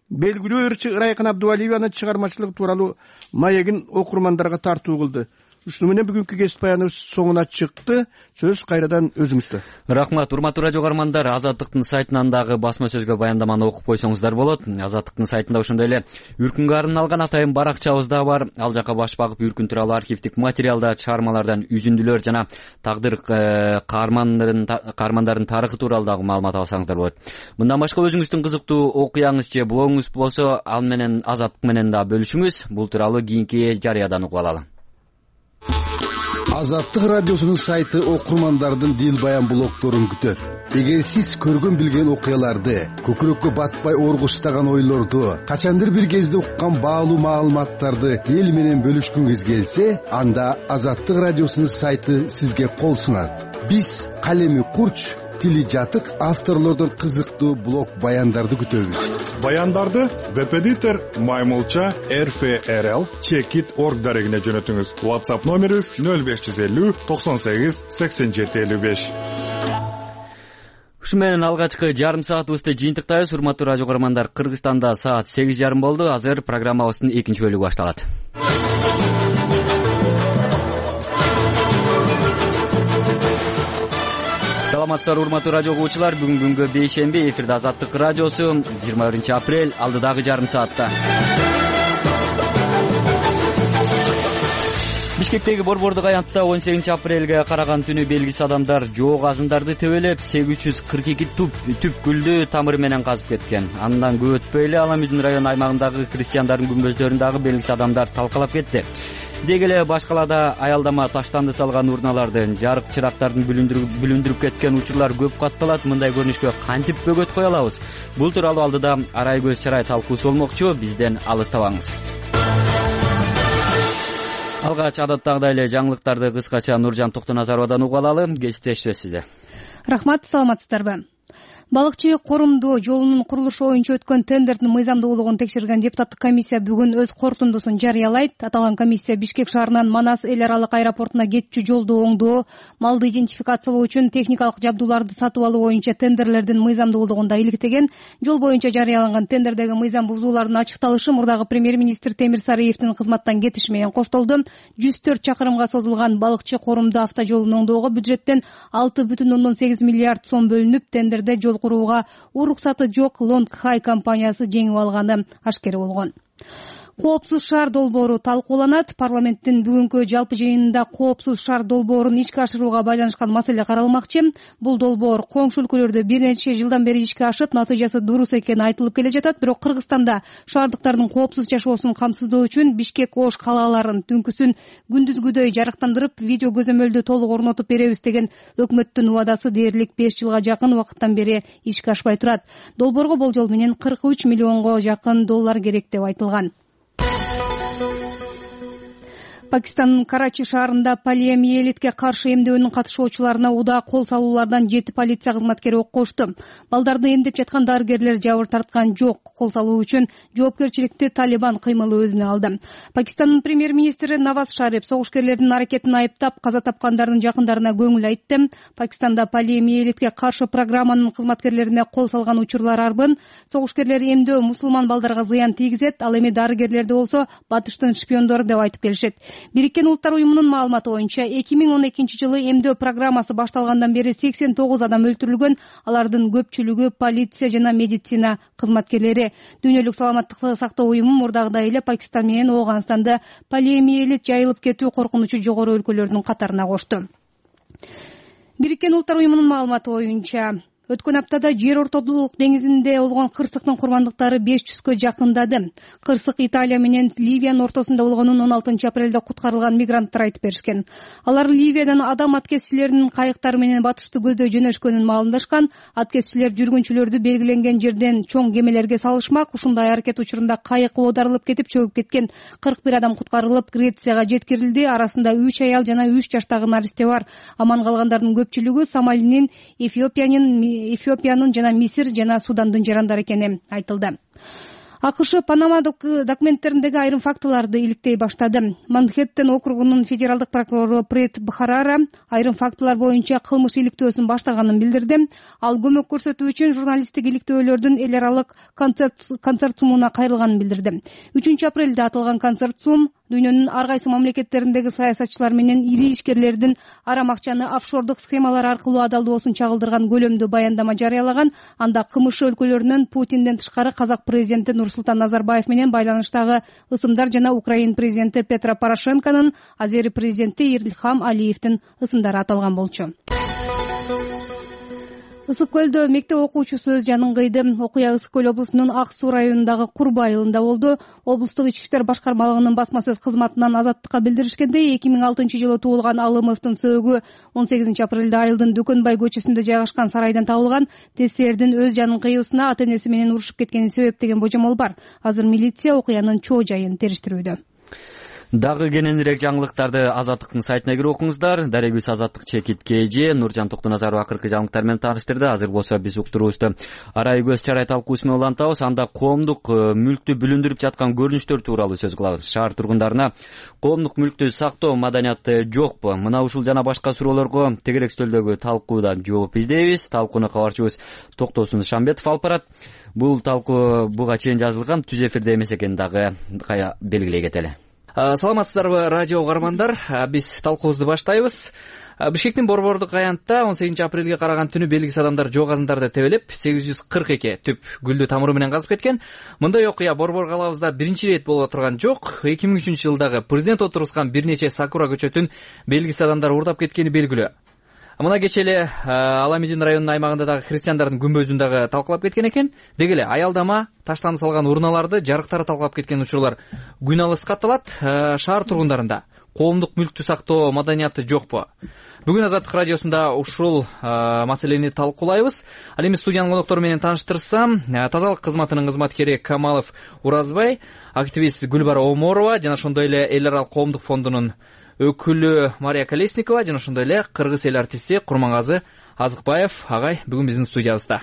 белгилүү ырчы Ырайкын Абдувалиеванын чыгармачылыгы тууралуу маегин окурмандарга тартуу кылды. Ушуну менен бүгүнкү кесип баяныбыз соңуна чыкты. Сөз кайрадан өзүңүздө. Рахмат, урматтуу радио каармандар. Азаттыктын сайтынан дагы басма сөзгө баяндаманы окуп койсоңуздар болот. Азаттыктын сайтында ошондой эле Үркүнгө арналган атайын баракчабыз да бар. Ал жака баш багып Үркүн тууралуу архивдик материалдар, чыгармалардан үзүндүлөр жана тагдыр каармандардын тарыхы тууралуу дагы маалымат алсаңыздар болот. Мындан башка өзүңүздүн кызыктуу окуяңыз же блогуңуз болсо, ал менен Азаттык менен да бөлүшүңүз. Бул тууралуу кийинки жарыядан угуп алалы. Азаттык радиосунун сайты окурмандардын дил баян блогдорун күтөт. Эгер сиз көргөн билген окуяларды, көкүрөккө батпай оргуштаган ойлорду, качандыр бир кезде уккан баалуу маалыматтарды эл менен бөлүшкүңүз келсе, анда Азаттык радиосунун сайты сизге кол сунат. Биз калеми курч, тили жатык авторлордун кызыктуу блог баяндарды күтөбүз. Баяндарды веб-эдитор Маймылча RFRL Checkit.org дарегине жөнөтүңүз. WhatsApp номерибиз 0550 98 87 55. Ушу менен алгачкы жарым саатыбызды жыйынтыктайбыз. Урматтуу радио көрөрмандар, Кыргызстанда саат 8:30 болду. Азыр программабыздын экинчи бөлүгү башталат. Саламатсыздар урматтуу радио угуучулар. Бүгүнгү бейшемби, эфирде Азаттык радиосу, 21 апрель, алдыдагы жарым саатта. Бишкектеги борбордук аянтта 18 апрелге караган түнү белгисиз адамдар жоо казындарды тебелеп 842 түп гүлдү тамыры менен казып кеткен. Андан көп өтпөй эле Аламүдүн район аймагындагы крестьяндардын күмбөздөрүн дагы белгисиз адамдар талкалап кетти. Деги эле башкалада аялдама таштанды салган урналарды, жарык чырактарын бүлүндүрүп кеткен учурлар көп катталат. Мындай көрүнүшкө кантип бөгөт коё алабыз? Бул тууралуу алдыда арай көз чарай талкуусу болмокчу. Бизден алыстабаңыз. Алгач адаттагыдай эле жаңылыктарды кыскача Нуржан Токтоназаровадан угуп алалы. Кесиптешибиз сизде. Рахмат, саламатсыздарбы? Балыкчы корумдуу жолунун курулушу боюнча өткөн тендердин мыйзамдуулугун текшерген депутаттык комиссия бүгүн өз корутундусун жарыялайт. Аталган комиссия Бишкек шаарынан Манас эл аралык аэропортуна кетчү жолду оңдоо, малды идентификациялоо үчүн техникалык жабдууларды сатып алуу боюнча тендерлердин мыйзамдуулугун да иликтеген. Жол боюнча жарыяланган тендердеги мыйзам бузуулардын ачыкталышы мурдагы премьер-министр Темир Сарыевдин кызматтан кетиши менен коштолду. 104 чакырымга созулган балыкчы корумдуу автожолун оңдоого бюджеттен 6,8 миллиард сом бөлүнүп, тендерде жол курууга уруксаты жок Long High компаниясы жеңип алганы ашкер болгон. Коопсуз шаар долбоору талкууланат. Парламенттин бүгүнкү жалпы жыйынында коопсуз шаар долбоорун ишке ашырууга байланышкан маселе каралмакчы. Бул долбоор коңшу өлкөлөрдө бир нече жылдан бери ишке ашып, натыйжасы дурус экени айтылып келе жатат. Бирок Кыргызстанда шаардыктардын коопсуз жашоосун камсыздоо үчүн Бишкек Ош калааларын түнкүсүн күндүзгүдөй жарыктандырып, видео көзөмөлдү толук орнотуп беребиз деген өкмөттүн убадасы дээрлик 5 жылга жакын убакыттан бери ишке ашпай турат. Долбоорго болжол менен 43 миллионго жакын доллар керек деп айтылган. Пакистандын Карачи шаарында полиомиелитке каршы эмдөөнүн катышуучуларына удаа кол салуулардан 7 полиция кызматкери ок кошту. Балдарды эмдеп жаткан дарыгерлер жабыр тарткан жок. Кол салуу үчүн жоопкерчиликти Талибан кыймылы өзүнө алды. Пакистандын премьер-министри Наваз Шариф согушкерлердин аракетин айыптап, каза тапкандардын жакындарына көңүл айтты. Пакистанда полиомиелитке каршы программанын кызматкерлерине кол салган учурлар арбын. Согушкерлер эмдөө мусулман балдарга зыян тийгизет, ал эми дарыгерлерди болсо батыштын шпиондору деп айтып келишет. Бириккен Улуттар уюмунун маалыматы боюнча 2012 жылы эмдөө программасы башталгандан бери 89 адам өлтүрүлгөн. Алардын көпчүлүгү полиция жана медицина кызматкерлери. Дүйнөлүк саламаттыкты сактоо уюму мурдагыдай эле Пакистан менен Ооганстанды полиомиелит жайылып кетүү коркунучу жогору өлкөлөрдүн катарына кошту. Бириккен Улуттар уюмунун маалыматы боюнча өткөн аптада жер ортодулук деңизинде болгон кырсыктын курмандыктары 500гө жакындады. Кырсык Италия менен Ливиянын ортосунда болгонун 16 апрелде куткарылган мигранттар айтып беришкен. Алар Ливиядан адам аткезчилеринин кайыктары менен батышты көздөй жөнөшкөнүн маалымдашкан. Аткезчилер жүргүнчүлөрдү белгиленген жерден чоң кемелерге салышмак. Ушундай аракет учурунда кайык оодарылып кетип чөгүп кеткен. 41 адам куткарылып Грецияга жеткирилди. Арасында 3 аял жана 3 жаштагы наристе бар. Аман калгандардын көпчүлүгү Сомалинин, Эфиопиянын жана Мисир жана Судандын жарандары экени айтылды. АКШ Панама документтериндеги айрым фактыларды иликтей баштады. Манхэттен округунун федералдык прокурору Прет Бхарара айрым фактылар боюнча кылмыш иликтөөсүн баштаганын билдирди. Ал көмөк көрсөтүү үчүн журналисттик иликтөөлөрдүн эл аралык консорциумуна кайрылганын билдирди. 3 апрелде аталган консорциум дүйнөнүн ар кайсы мамлекеттериндеги саясатчылар менен ири ишкерлердин арам акчаны офшордук схемалар аркылуу адалдоосун чагылдырган көлөмдүү баяндама жарыялаган. Анда КМШ өлкөлөрүнөн Путинден тышкары казак президенти Нурсултан Назарбаев менен байланыштагы ысымдар жана Украин президенти Петро Порошенконун, Азери президенти Ильхам Алиевдин ысымдары аталган болчу. Ысык көлдө мектеп окуучусу өз жанын кыйды. Окуя Ысык көл облусунун Ак Суу районундагы Курба айылында болду. Облустук ички иштер башкармалыгынын басма сөз кызматынан Азаттыкка билдиришкендей, 2006-жылы туулган Алымовдун сөөгү 18 апрелде айылдын Дүкөнбай көчөсүндө жайгашкан сарайдан табылган. Тескердин өз жанын кыюусуна ата-энеси менен урушуп кеткени себеп деген божомол бар. Азыр милиция окуянын чоо жайын териштирүүдө. Дагы кененирээк жаңылыктарды Азаттыктын сайтына кирип окуңуздар. Дарегүл Азаттык чекит КЖ Нуржан Токтоназарова акыркы жаңылыктар менен тааныштырды. Азыр болсо биз уктуруубузду арай көз чарай талкуусу менен улантабыз. Анда коомдук мүлктү бүлүндүрүп жаткан көрүнүштөр тууралуу сөз кылабыз. Шаар тургундарына коомдук мүлктү сактоо маданияты жокпу? Мына ушул жана башка суроолорго тегерек стөлдөгү талкууда жооп издейбиз. Талкууну кабарчыбыз Токтосун Шамбетов алып барат. Бул талкуу буга чейин жазылган, түз эфирде эмес экенин дагы белгилей кетели. Саламатсыздарбы радио угармандар, биз талкуубузду баштайбыз. Бишкектин Борбордук аянтта 18 апрелге караган түнү белгисиз адамдар жоо казындарды тебелеп 842 түп гүлдү тамыры менен казып кеткен. Мындай окуя Борбор калабызда биринчи ирет болуп турган жок. 2003-жылдагы президент отургузган бир нече сакура көчөтүн белгисиз адамдар уурдап кеткени белгилүү. Мына кечээ эле Аламедин районунун аймагында дагы христиандардын күмбөзүн дагы талкалап кеткен экен. Деги эле аялдама, таштан салган урналарды, жарыктары талкалап кеткен учурлар күн алыс катталат. Шаар тургундарында коомдук мүлктү сактоо маданияты жокпу? Бүгүн Азаттык радиосунда ушул маселени талкуулайбыз. Ал эми студиянын коноктору менен тааныштырсам, тазалык кызматынын кызматкери Камалов Уразбай, активист Гүлбара Оморова жана ошондой эле эл аралык коомдук фондунун өкүлү Мария Колесникова жана ошондой эле кыргыз эл артисти Курмангазы Азыкбаев агай бүгүн биздин студиябызда.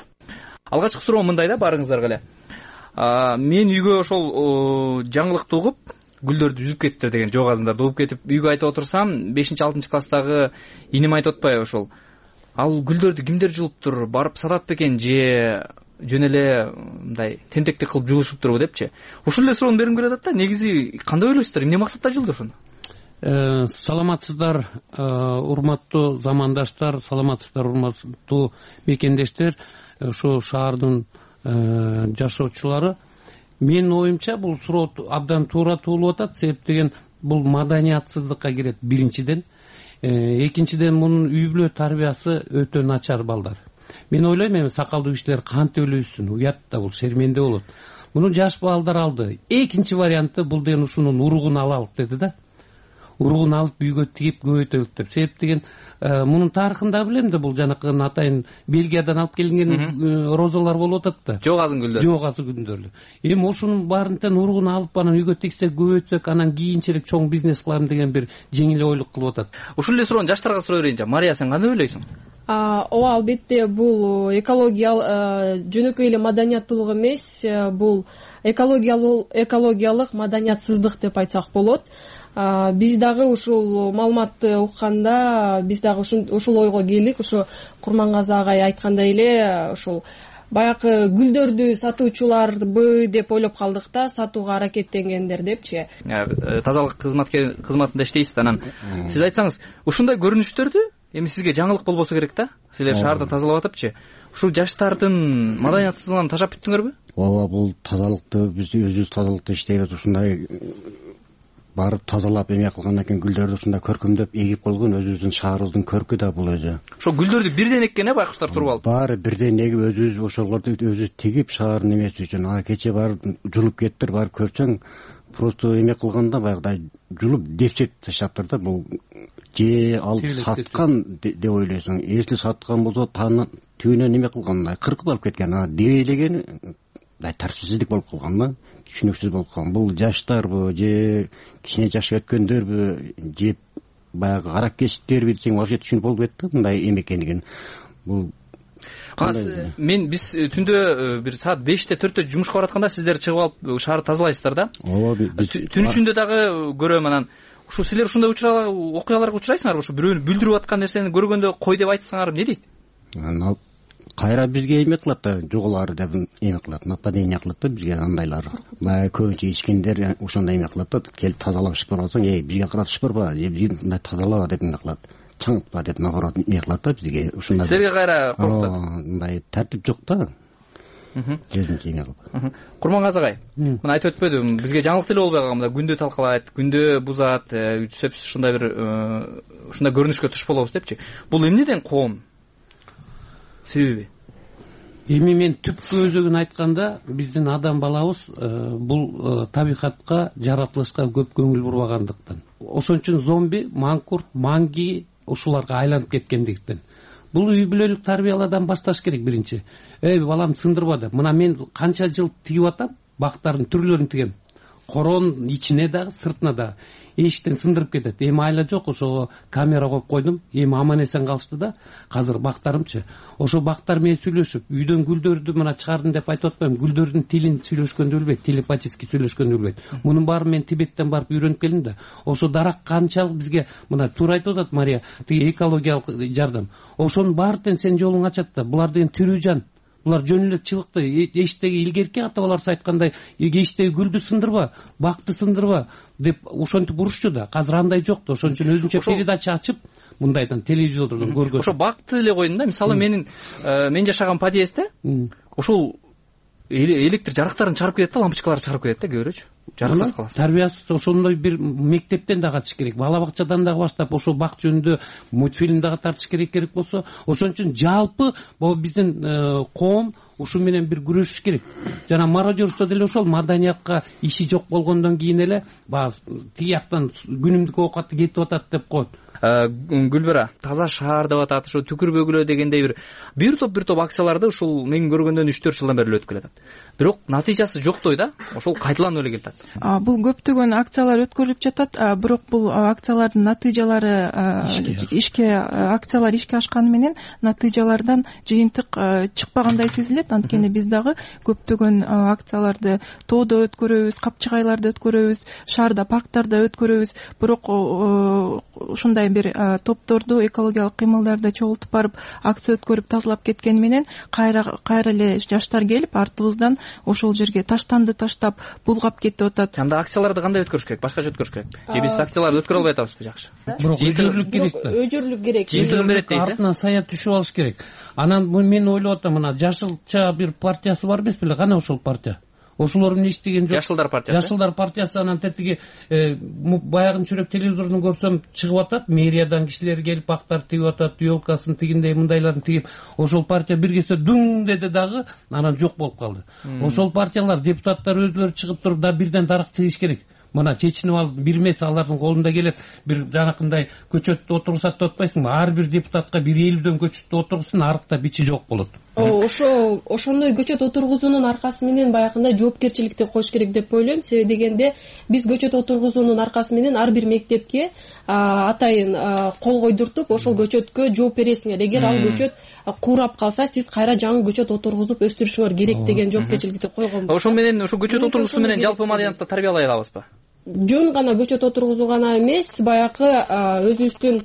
Алгачкы суроо мындай да барыңыздарга эле. Мен үйгө ошол жаңылыкты угуп, гүлдөрдү үзүп кетиптир деген жоо казындарды угуп кетип, үйгө айтып отурсам, 5-6 класстагы иним айтып атпайбы ошол. Ал гүлдөрдү кимдер жулуптур, барып сатат бекен же жөн эле мындай тентектик кылып жулушуптурбу депчи. Ушул эле суроону бергим келип атат да, негизи кандай ойлойсуздар, эмне максатта жулду ошону? Саламатсыздар, урматтуу замандаштар, саламатсыздар, урматтуу мекендештер, ошо шаардын жашоочулары. Менин оюмча бул суроо абдан туура туулуп атат, себеп деген бул маданиятсыздыкка кирет биринчиден. Экинчиден мунун үй бүлө тарбиясы өтө начар балдар. Мен ойлойм, эми сакалдуу кишилер кантип эле өссүн, уят да, бул шерменде болот. Муну жаш балдар алды. Экинчи варианты бул деген ушунун уругун алалык деди да. Уругун алып үйгө тигип көбөйтөлүк деп. Себеп деген мунун тарыхында билем да, бул жанакы атайын Бельгиядан алып келинген розалар болуп атат да. Жоо казын гүлдөр. Жоо казын гүлдөр. Эми ошонун баарынтан уругун алып анан үйгө тигсек, көбөйтсөк, анан кийинчерээк чоң бизнес кылам деген бир жеңил ойлук кылып атат. Ушул эле суроону жаштарга сурай берейинчи. Мария, сен кандай ойлойсуң? Ооба, албетте бул жөнөкөй эле маданияттуулук эмес, бул экологиялык маданиятсыздык деп айтсак болот. Биз дагы ушул маалыматты укканда биз дагы ушул ойго келдик. Ошо Курмангазы агай айткандай эле ушул баягы гүлдөрдү сатуучуларбы деп ойлоп калдык да, сатууга аракеттенгендер депчи. Тазалык кызматында иштейсиз, анан сиз айтсаңыз, ушундай көрүнүштөрдү эми сизге жаңылык болбосо керек да. Силер шаарды тазалап атыпчы. Ушул жаштардын маданиятсыздыгын ташап бүттүңөрбү? Ооба, бул тазалыкты биз өзүбүз тазалыкта иштейбиз. Ушундай барып тазалап эме кылгандан кийин гүлдөрдү ушундай көркөмдөп эгип койгон өзүбүздүн шаарыбыздын көркү да бул өзү. Ошо гүлдөрдү бирден эккен байкуштар туруп алып. Баары бирден эгип өзүбүз ошолорду өзү тигип шаардын эмеси үчүн. Кече барып жулуп кеттир, барып көрсөң, просто эме кылганда баягыдай жулуп депчек таштаптыр да. Бул же алып саткан деп ойлойсуң. Если саткан болсо түбүнөн эме кылган, кыркып алып кеткен, дебейлеген тартипсиздик болуп калган да, түшүнүксүз болуп калган. Бул жаштарбы же кичине жашка өткөндөрбү же баягы каракечтерби десең вообще түшүнүп болуп кетти мындай эме экендигин. Бул биз түндө бир саат 5-4 жумушка баратканда сиздер чыгып алып шаарды тазалайсыздар да. Түн ичинде дагы көрөм анан. Ушу силер ушундай окуяларга учурайсыңарбы? Ушу бирөөнү бүлдүрүп аткан нерсени көргөндө кой деп айтсаңар эмне дейт? Кайра бизге эме кылат да, жоголары деп эме кылат, нападение кылат да бизге андайлар. Баягы көбүнчө ичкендер ошондой эме кылат да, келип тазалап ишип барсаң, бизге карап ишип барба, бизди тазалаба деп эме кылат. Чаңытпа деп наоборот эме кылат да бизге. Ушундай. Силерге кайра коркутат. Мындай тартип жок да. Курмангазы агай, мына айтып өтпөдүм, бизге жаңылык деле болбой калган, күндө талкалайт, күндө бузат, сөзсүз ушундай бир ушундай көрүнүшкө туш болобуз депчи. Бул эмнеден коом? Себеби? Эми мен түпкү өзөгүн айтканда, биздин адам балабыз бул табигатка, жаратылышка көп көңүл бурбагандыктан. Ошон үчүн зомби, маңкурт, манги ушуларга айланып кеткендиктен. Бул үй бүлөлүк тарбиялардан башташ керек биринчи. Балам сындырба деп. Мына мен канча жыл тигип атам, бактардын түрлөрүн тигем. Коронун ичине дагы, сыртына дагы. Эшиктен сындырып кетет. Эми айла жок, ошо камера коюп койдум. Эми аман эсен калышты да. Азыр бактарымчы. Ошо бактар менен сүйлөшүп, үйдөн гүлдөрдү мына чыгардым деп айтып атпайм. Гүлдөрдүн тилин сүйлөшкөндү билбейт, телепатически сүйлөшкөндү билбейт. Мунун баарын мен Тибеттен барып үйрөнүп келдим да. Ошо дарак канчалык бизге мына туура айтып атат Мария, тиги экологиялык жардам. Ошонун баардын сен жолуң ачат да. Булар деген тирүү жан. Булар жөн эле чыбыкты, эчтеги илгерки ата-бабаларыбыз айткандай, эчтеги гүлдү сындырба, бакты сындырба деп ошентип урушчу да. Азыр андай жок да. Ошон үчүн өзүнчө передача ачып, мындайдан телевизордон көргөн. Ошо бакты эле койдум да. Мисалы мен жашаган подъездде ошол электр жарыктарын чыгарып кетет да, лампочкаларды чыгарып кетет да, көрөчү. Жарыксыз калат. Тарбиясыз ошондой бир мектептен дагы ачыш керек. Бала бакчадан дагы баштап ошол бак жөнүндө мультфильм дагы тартыш керек болсо, ошон үчүн жалпы бул биздин коом ушу менен бир күрөшүш керек. Жана мародерство деле ошол маданиятка иши жок болгондон кийин эле баягы тиги жактан күнүмдүк оокаты кетип атат деп коет. Гүлбара, таза шаар деп атат, ошо түкүрбөгүлө дегендей бир топ акцияларды ушул мен көргөндөн 3-4 жылдан бери өткүлөп атат. Бирок натыйжасы жоктой да, ошол кайталанып эле келатат. Бул көптөгөн акциялар өткөрүлүп жатат, бирок бул акциялардын натыйжалары акциялар ишке ашканы менен натыйжалардан жыйынтык чыкпагандай сезилет. Анткени биз дагы көптөгөн акцияларды тоодо өткөрөбүз, капчыгайларда өткөрөбүз, шаарда, парктарда өткөрөбүз. Бирок ушундай бир топторду экологиялык кыймылдарда чогултуп барып акция өткөрүп тазалап кеткени менен кайра эле жаштар келип артыбыздан ошол жерге таштанды таштап булгап кетип атат. Анда акцияларды кандай өткөрүш керек? Башкача өткөрүш керек. Же биз акцияларды өткөрө албай атабызбы? Жакшы. Бирок өжөрлүк керек да. Өжөрлүк керек. Жыйынтыгын берет дейсиз. Артынан сая түшүп алыш керек. Анан мен ойлоп атам, мына жашылча бир партиясы бар эмес беле? Кана ошол партия? Ошолор эмне иштеген жок? Жашылдар партиясы. Жашылдар партиясы анан тетиги баягын чүрөк телевизордон көрсөм чыгып атат, мэриядан кишилер келип бактар тигип атат, ёлкасын тигиндей мындайларын тигип, ошол партия бир кезде дуң деди дагы, анан жок болуп калды. Ошол партиялар, депутаттар өзүлөрү чыгып туруп да бирден дарак тигиш керек. Мына чечинип алып бир эмес алардын колунда келет, бир жанакындай көчөттү отургузат деп атпайсыңбы? Ар бир депутатка бир 50дөн көчөттү отургузсын, арыкта бичи жок болот. Ошондой көчөт отургузуунун аркасы менен баягындай жоопкерчиликти коюш керек деп ойлойм. Себеби дегенде биз көчөт отургузуунун аркасы менен ар бир мектепке атайын кол койдуртуп, ошол көчөткө жооп бересиңер. Эгер ал көчөт куурап калса, сиз кайра жаңы көчөт отургузуп өстүрүшүңөр керек деген жоопкерчиликти койгонбуз. Ошол менен ошо көчөт отургузуу менен жалпы маданиятты тарбиялай алабызбы? Жөн гана көчөт отургузуу гана эмес, баягы өзүбүздүн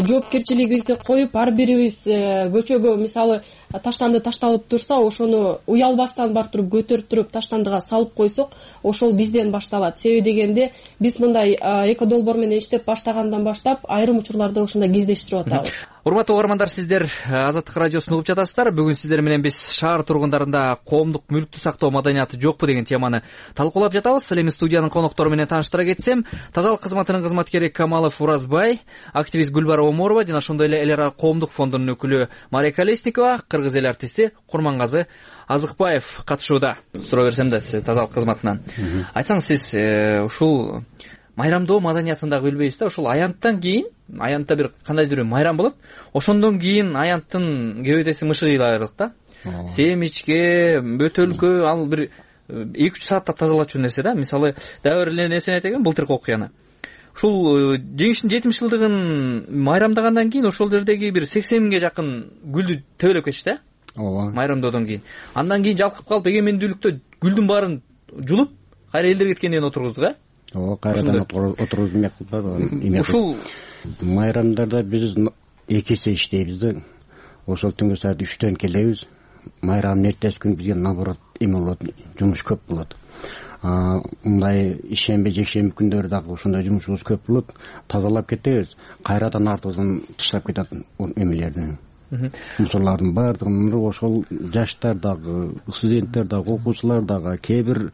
жоопкерчилигибизди коюп, ар бирибиз көчөгө мисалы таштанды ташталып турса, ошону уялбастан барып туруп көтөрүп туруп таштандыга салып койсок, ошол бизден башталат. Себеби дегенде биз мындай эко долбоор менен иштеп баштагандан баштап айрым учурларда ушундай кездештирип атабыз. Урматтуу угармандар, сиздер Азаттык радиосун угуп жатасыздар. Бүгүн сиздер менен биз шаар тургундарында коомдук мүлктү сактоо маданияты жокпу деген теманы талкуулап жатабыз. Эми студиянын коноктору менен тааныштыра кетсем, тазалык кызматынын кызматкери Камалов Уразбай, активист Гүлбара Оморова жана ошондой эле эл ара коомдук фондунун өкүлү Мария Колесникова, кыргыз эл артисти Курмангазы Азыкбаев катышууда. Суроо берсем да, сиз тазалык кызматынан айтсаңыз, сиз ушул майрамдоо маданиятын дагы билбейбиз да, ушул аянттан кийин, аянтта бир кандайдыр бир майрам болот, ошондон кийин аянттын кебедеси мышыгыйлайбыз да. Семичке, бөтөлкө, ал бир 2-3 сааттап тазалачу нерсе да. Мисалы, дагы бир нерсени айтайын, былтыркы окуяны. Ушул жеңиштин 70-жылдыгын майрамдагандан кийин ошол жердеги бир 80 миңге жакын гүлдү тебелеп кетишти да. ооба, майрамдоодон кийин. Андан кийин жалкып калып эгемендүүлүктө гүлдүн баарын жулуп, кайра элдер кеткенден кийин отургуздук, ооба, кайрадан отургузуп эмне кылбады. Ушул майрамдарда биз 2 эсе иштейбиз да. Ошол түнгө саат 3-төн келебиз. Майрамдын эртеси күнү бизге наоборот эме болот, жумуш көп болот. Мындай ишемби, жекшемби күндөрү дагы ошондой жумушубуз көп болот. Тазалап кетебиз, кайрадан артыбыздан таштап кетет эмелерди. Мусорлардын баардыгын ошол жаштар дагы, студенттер дагы, окуучулар дагы, кээ бир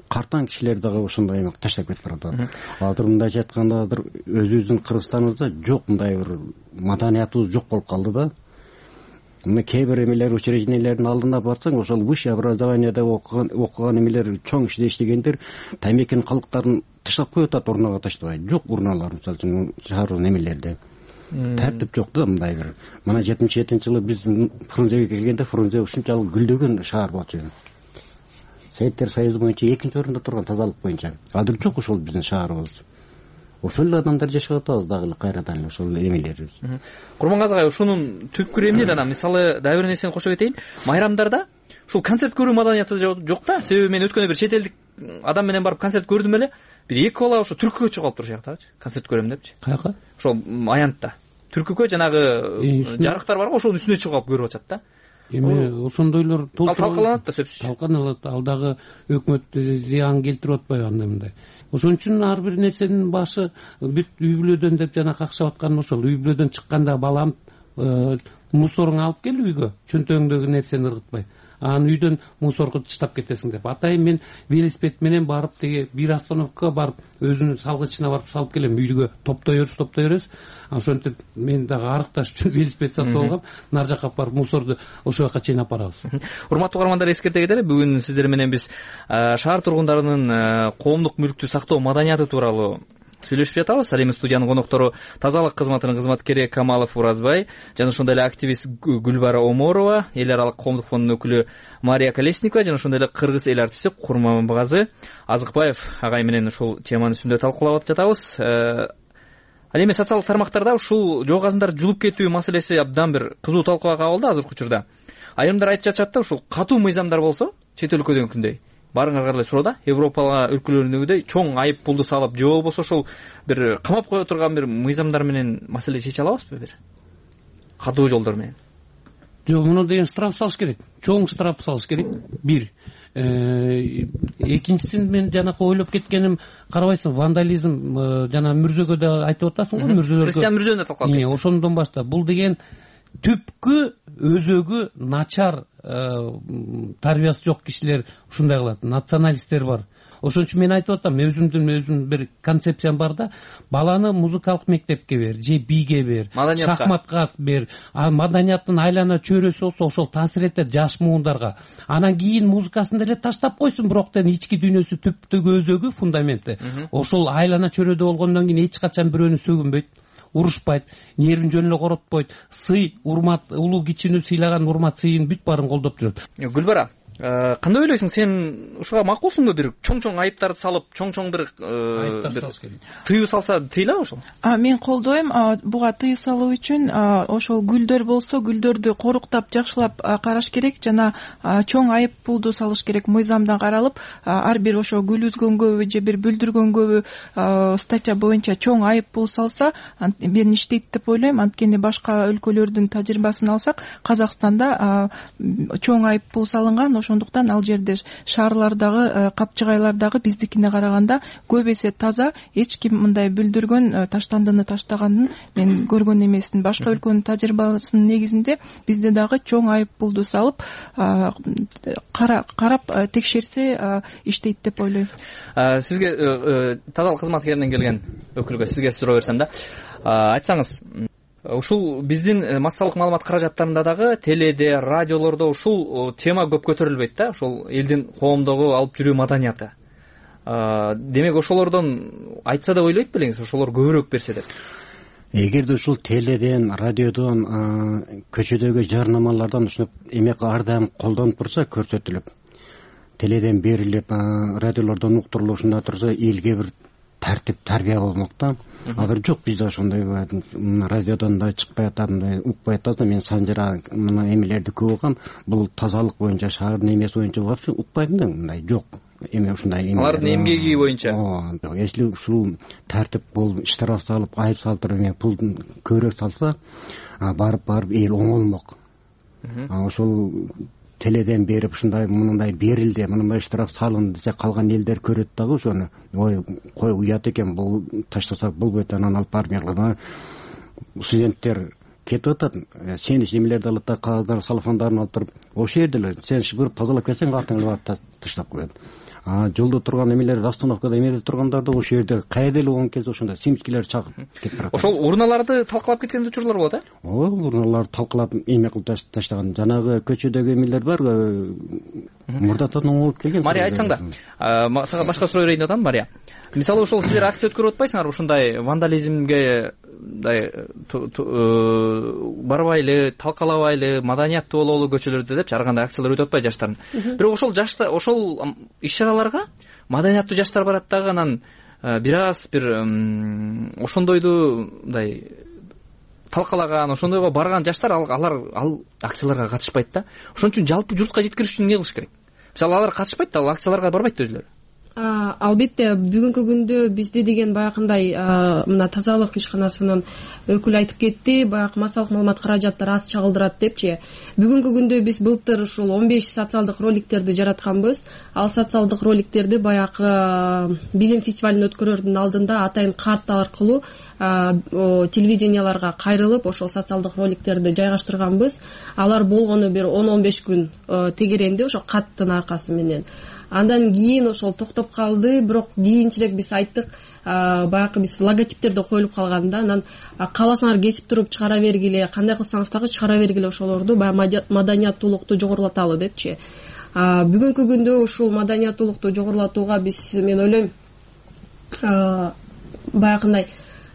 картаң кишилер дагы ошондой эме таштап кетип барат. Азыр мындайча айтканда өзүбүздүн Кыргызстаныбызда жок, мындай бир маданиятыбыз жок болуп калды да. Мына кээ бир эмелер, учреждениялердин алдына барсаң, ошол высшее образованияда окуган эмелер, чоң иште иштегендер таймекенин калдыктарын таштап коюп атат, урнага таштабай. Жок урналар, мисалы үчүн шаардын эмелерде. Тартип жок да мындай бир. Мына 77-жылы биз Фрунзеге келгенде Фрунзе ушунчалык гүлдөгөн шаар болчу. Советтер Союзу боюнча 2-орунда турган тазалык боюнча. Азыр жок ошол биздин шаарыбыз. Ошол эле адамдар жашап атабыз дагы кайрадан ошол эмелерибиз. Курмангазы агай, ушунун түпкүрү эмне да? Мисалы, дагы бир нерсени кошо кетейин. Майрамдарда ушул концерт көрүү маданияты жок да. Себеби мен өткөндө бир чет элдик адам менен барып концерт көрдүм эле. Бир 2 бала ошо түркүгө чыгып алып турушат жактагычы. Концерт көрөм депчи. Каяка? Ошол Аянтта. Түркүгө жанагы жарыктар барго, ошонун үстүнө чыгып алып көрүп атышат да. Эми ошондойлор талкаланат да сөзсүз. Талкаланат. Ал дагы өкмөт зыян келтирип атпайбы андай мындай. Ошон үчүн ар бир нерсенин башы бүт үй бүлөдөн деп жана какшап аткан ошол. Үй бүлөдөн чыкканда балам мусоруңду алып кел үйгө, чөнтөгүңдөгү нерсени ыргытпай. Анан үйдөн мусорго таштап кетесиң деп. Атайын мен велосипед менен барып теге бир остановкага барып өзүнүн салгычына барып салып келем. Үйгө топтой беребиз. Ошентип мен дагы арыкташ үчүн велосипед сатып алгам. Нар жакка барып мусорду ошол жака чейин алып барабыз. Урматтуу каармандар, эскерте кетели, бүгүн сиздер менен биз шаар тургундарынын коомдук мүлктү сактоо маданияты тууралуу сүйлөшүп жатабыз. Ал эми студиянын коноктору тазалык кызматынын кызматкери Камалов Уразбай жана ошондой эле активист Гүлбара Оморова, эл аралык коомдук фондунун өкүлү Мария Колесникова жана ошондой эле кыргыз эл артисти Курмангазы Азыкбаев агай менен ушул теманын үстүндө талкуулап жатабыз. Ал эми социалдык тармактарда ушул жоо казындар жулуп кетүү маселеси абдан бир кызуу талкууга кабылды азыркы учурда. Айрымдар айтып жатышат да, ушул катуу мыйзамдар болсо, чет өлкөдөнкүндөй баарыңарга эле суроо да, Европа өлкөлөрүндөгүдөй чоң айып пулду салып, же болбосо ошол бир камап кое турган бир мыйзамдар менен маселе чече алабызбы бир? Катуу жолдор менен. Жок, муну деген штраф салыш керек. Чоң штраф салыш керек. Бир. Экинчисин мен жанакы ойлоп кеткеним, карабайсың, вандализм жана Мүрзөгө да айтып атасың го, Мүрзөгө. Кристиан Мүрзөнү да талкалап кеттик. Ошондон баштап бул деген түпкү өзөгү начар тарбиясы жок кишилер ушундай кылат, националисттер бар. Ошон үчүн мен айтып атам, өзүмдүн бир концепциям бар да, баланы музыкалык мектепке бер, же биге бер, шахматка бер, маданияттын айлана чөйрөсү болсо ошол таасир этет жаш муундарга. Анан кийин музыкасын деле таштап койсун, бирок ички дүйнөсү түптүгү өзөгү, фундаменти. Ошол айлана чөйрөдө болгондон кийин эч качан бирөөнү сөгүнбөйт, урушпайт, нервин жөн эле коротпойт, сый, урмат, улуу кичини сыйлаган урмат сыйын бүт баарын колдоп жүрөт. Гүлбара, кандай ойлойсуң, сен ушуга макулсуңбу? Бир чоң айыптарды салып, чоң бир тыюу салса тыйылабы ошол? Мен колдойм. Буга тыюу салуу үчүн ошол гүлдөр болсо, гүлдөрдү коруктап, жакшылап караш керек жана чоң айып пулду салыш керек. Мыйзамдан каралып, ар бир ошо гүл үзгөнгөбү же бир бүлдүргөнгөбү статья боюнча чоң айып пул салса, мен иштейт деп ойлойм. Анткени башка өлкөлөрдүн тажрыйбасын алсак, Казакстанда чоң айып пул салынган. Ошондуктан ал жерде шаарлардагы, капчыгайлардагы биздикине караганда көп эсе таза, эч ким мындай бүлдүргөн, таштандыны таштаганын мен көргөн эмесмин. Башка өлкөнүн тажрыйбасынын негизинде бизде дагы чоң айып пулду салып, карап текшерсе иштейт деп ойлойм. Сизге тазалык кызматкеринен келген өкүлгө сизге суроо берсем да, айтсаңыз, ушул биздин массалык маалымат каражаттарында дагы теледе, радиолордо ушул тема көп көтөрүлбөйт да, ушул элдин коомдогу алып жүрүү маданияты. Демек ошолордон айтса деп ойлойт белеңиз, ошолор көбүрөөк берсе деп? Эгерде ушул теледен, радиодон, көчөдөгү жарнамалардан ушуну эмек ар дайым колдонуп турса, көрсөтүлүп, теледен берилип, радиолордон уктурулуп ушундай турса, элге бир тартип тарбия болмок да. Азыр жок бизде ошондой радиодон да чыкпай атат, укпай атат. Мен Санжара мына эмелерди көп угам. Бул тазалык боюнча, шаардын эмеси боюнча вообще укпайм да, мындай жок. Эме ушундай алардын эмгеги боюнча. Если ушул тартип болуп, штраф салып, айып салып туруп, пул көбүрөөк салса, барып эл оңолмок. Ошол теледен берип ушундай мындай берилди, мындай штраф салынды десе калган элдер көрөт дагы ошону. Ой, кой уят экен, бул таштасак болбойт, анан алып барып студенттер кетип атат. Сен эмелерди алып да кагаздар, салфандарын алып туруп, ошол жерде эле сен шыгырып тазалап келсең, артыңа барып таштап коет. Жолдо турган эмелер, остановкада эмелер тургандарды ошол жерде кайда эле болгон кезде ошондой симскилер чагып кетип барат. Ошол урналарды талкалап кеткен учурлар болот, урналарды талкалап эме кылып таштаган. Жанагы көчөдөгү эмелер бар, мурдатан оңолуп келген. Мария, айтсаң да, сага башка суроо берейин деп атам, Мария. Мисалы ошол силер акция өткөрүп атпайсыңарбы, ушундай вандализмге барбайлы, талкалабайлы, маданияттуу бололу көчөлөрдө депчи ар кандай акциялар өтүп атпайбы жаштардын? Бирок ошол иш-чараларга маданияттуу жаштар барат дагы, анан бир ошондойду мындай талкалаган, ошондойго барган жаштар ал акцияларга катышпайт да. Ошон үчүн жалпы журтка жеткириш үчүн эмне кылыш керек? Мисалы алар катышпайт да, ал акцияларга барбайт өзүлөрү. Албетте бүгүнкү күндө бизде деген баягындай мына тазалык ишканасынын өкүлү айтып кетти, баягы массалык маалымат каражаттары аз чагылдырат депчи. Бүгүнкү күндө биз былтыр ушул 15 социалдык роликтерди жаратканбыз. Ал социалдык роликтерди баягы билим фестивалын өткөрөрдүн алдында атайын карта аркылуу телевиденияларга кайрылып ошол социалдык роликтерди жайгаштырганбыз. Алар болгону бир 10-15 күн тегеренди ошол каттын аркасы менен. Андан кийин ошол токтоп калды, бирок кийинчерээк биз айттык, баягы биз логотиптерди коюлуп калган да, анан кааласаңар кесип туруп чыгара бергиле, кандай кылсаңыз дагы чыгара бергиле ошолорду, баягы маданияттуулукту жогорулаталы депчи. Бүгүнкү күндө ушул маданияттуулукту жогорулатууга биз, мен ойлойм, баягындай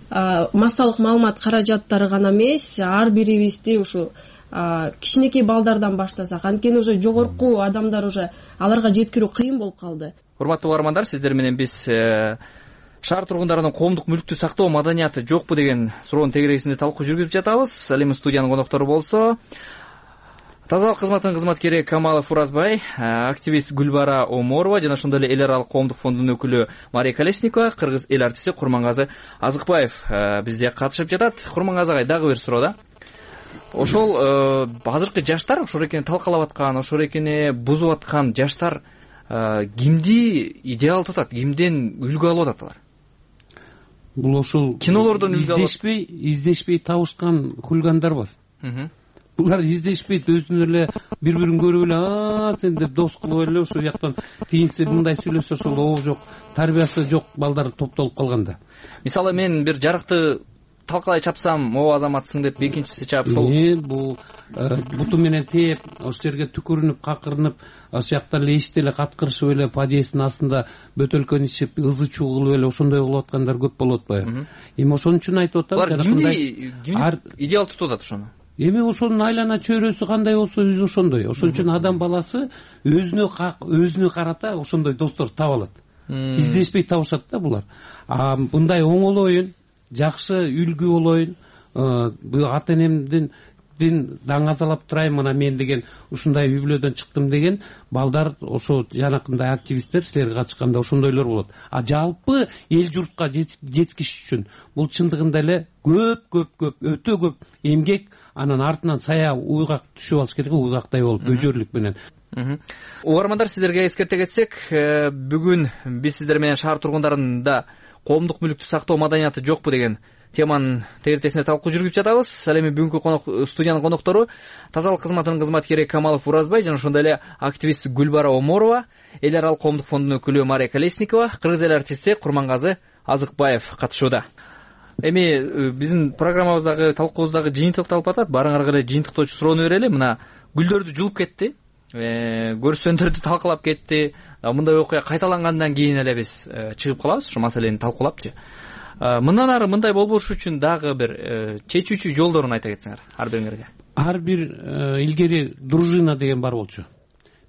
массалык маалымат каражаттары гана эмес, ар бирибизди ушу кичинекей балдардан баштасак, анткени уже жогорку адамдар уже аларга жеткирүү кыйын болуп калды. Урматтуу угармандар, сиздер менен биз шаар тургундарынын коомдук мүлктү сактоо маданияты жокпу деген суроонун тегерегинде талкуу жүргүзүп жатабыз. Ал эми студиянын коноктору болсо тазалык кызматынын кызматкери Камалов Уразбай, активист Гүлбара Оморова жана ошондой эле эл аралык коомдук фондунун өкүлү Мария Колесникова, кыргыз эл артисти Курмангазы Азыкбаев бизде катышып жатат. Курмангазы агай, дагы бир суроо да. Ошол азыркы жаштар, ошол экени талкалап аткан, ошол экени бузуп аткан жаштар кимди идеал тутат, кимден үлгү алып атат алар? Бул ошол кинолордон үлгү алып издешпей табышкан хулигандар бар. Булар издешпейт, өзүнө эле бири-бирин көрүп эле сен деп дос кылып эле ошол жактан тиинси мындай сүйлөсө ошол оо жок, тарбиясы жок балдар топтолуп калганда. Мисалы мен бир жарыкты талкалай чапсам, о азаматсың деп экинчиси чаап сол. Бул буту менен тээп, ошол жерге түкүрүнүп, какырынып, ошол жакта эле эшикте эле каткырышып эле подъезддин астында бөтөлкөнү ичип, ызы чуу кылып эле ошондой кылып аткандар көп болуп атпайбы? Эми ошон үчүн айтып атам. Булар кимди идеал тутуп атат ошону? Эми ошонун айлана чөйрөсү кандай болсо өзү ошондой. Ошон үчүн адам баласы өзүнө карата ошондой достор таба алат. Издешпей табышат да булар. Мындай оңолоюн, жакшы үлгү болоюн, бул ата энемдин даңазалап турайын, мына мен деген ушундай үй бүлөдөн чыктым деген балдар, ошо жанакындай активисттер силерге катышканда ошондойлор болот. Жалпы эл журтка жеткиш үчүн бул чындыгында эле өтө көп эмгек, анан артынан сая уйгак түшүп алыш керек, уйгактай болуп өжөрлүк менен. Угармандар, сиздерге эскерте кетсек, бүгүн биз сиздер менен шаар тургундарында коомдук мүлктү сактоо маданияты жокпу деген теманын тегертесинде талкуу жүргүзүп жатабыз. Ал эми бүгүнкү студиянын коноктору тазалык кызматынын кызматкери Камалов Уразбай жана ошондой эле активист Гүлбара Оморова, эл аралык коомдук фондунун өкүлү Мария Колесникова, кыргыз эл артисти Курмангазы Азыкбаев катышууда. Эми биздин программабыздагы талкуубуздагы жыйынтыкталып атат. Барыңарга эле жыйынтыктоочу суроону берели. Мына гүлдөрдү жулуп кетти, көрсөндөрдү талкалап кетти. Мындай окуя кайталангандан кийин эле биз чыгып калабыз ушу маселени талкуулапчы. Мындан ары мындай болбош үчүн дагы бир чечүүчү жолдорун айта кетсеңер ар бириңерге. Ар бир илгери дружина деген бар болчу.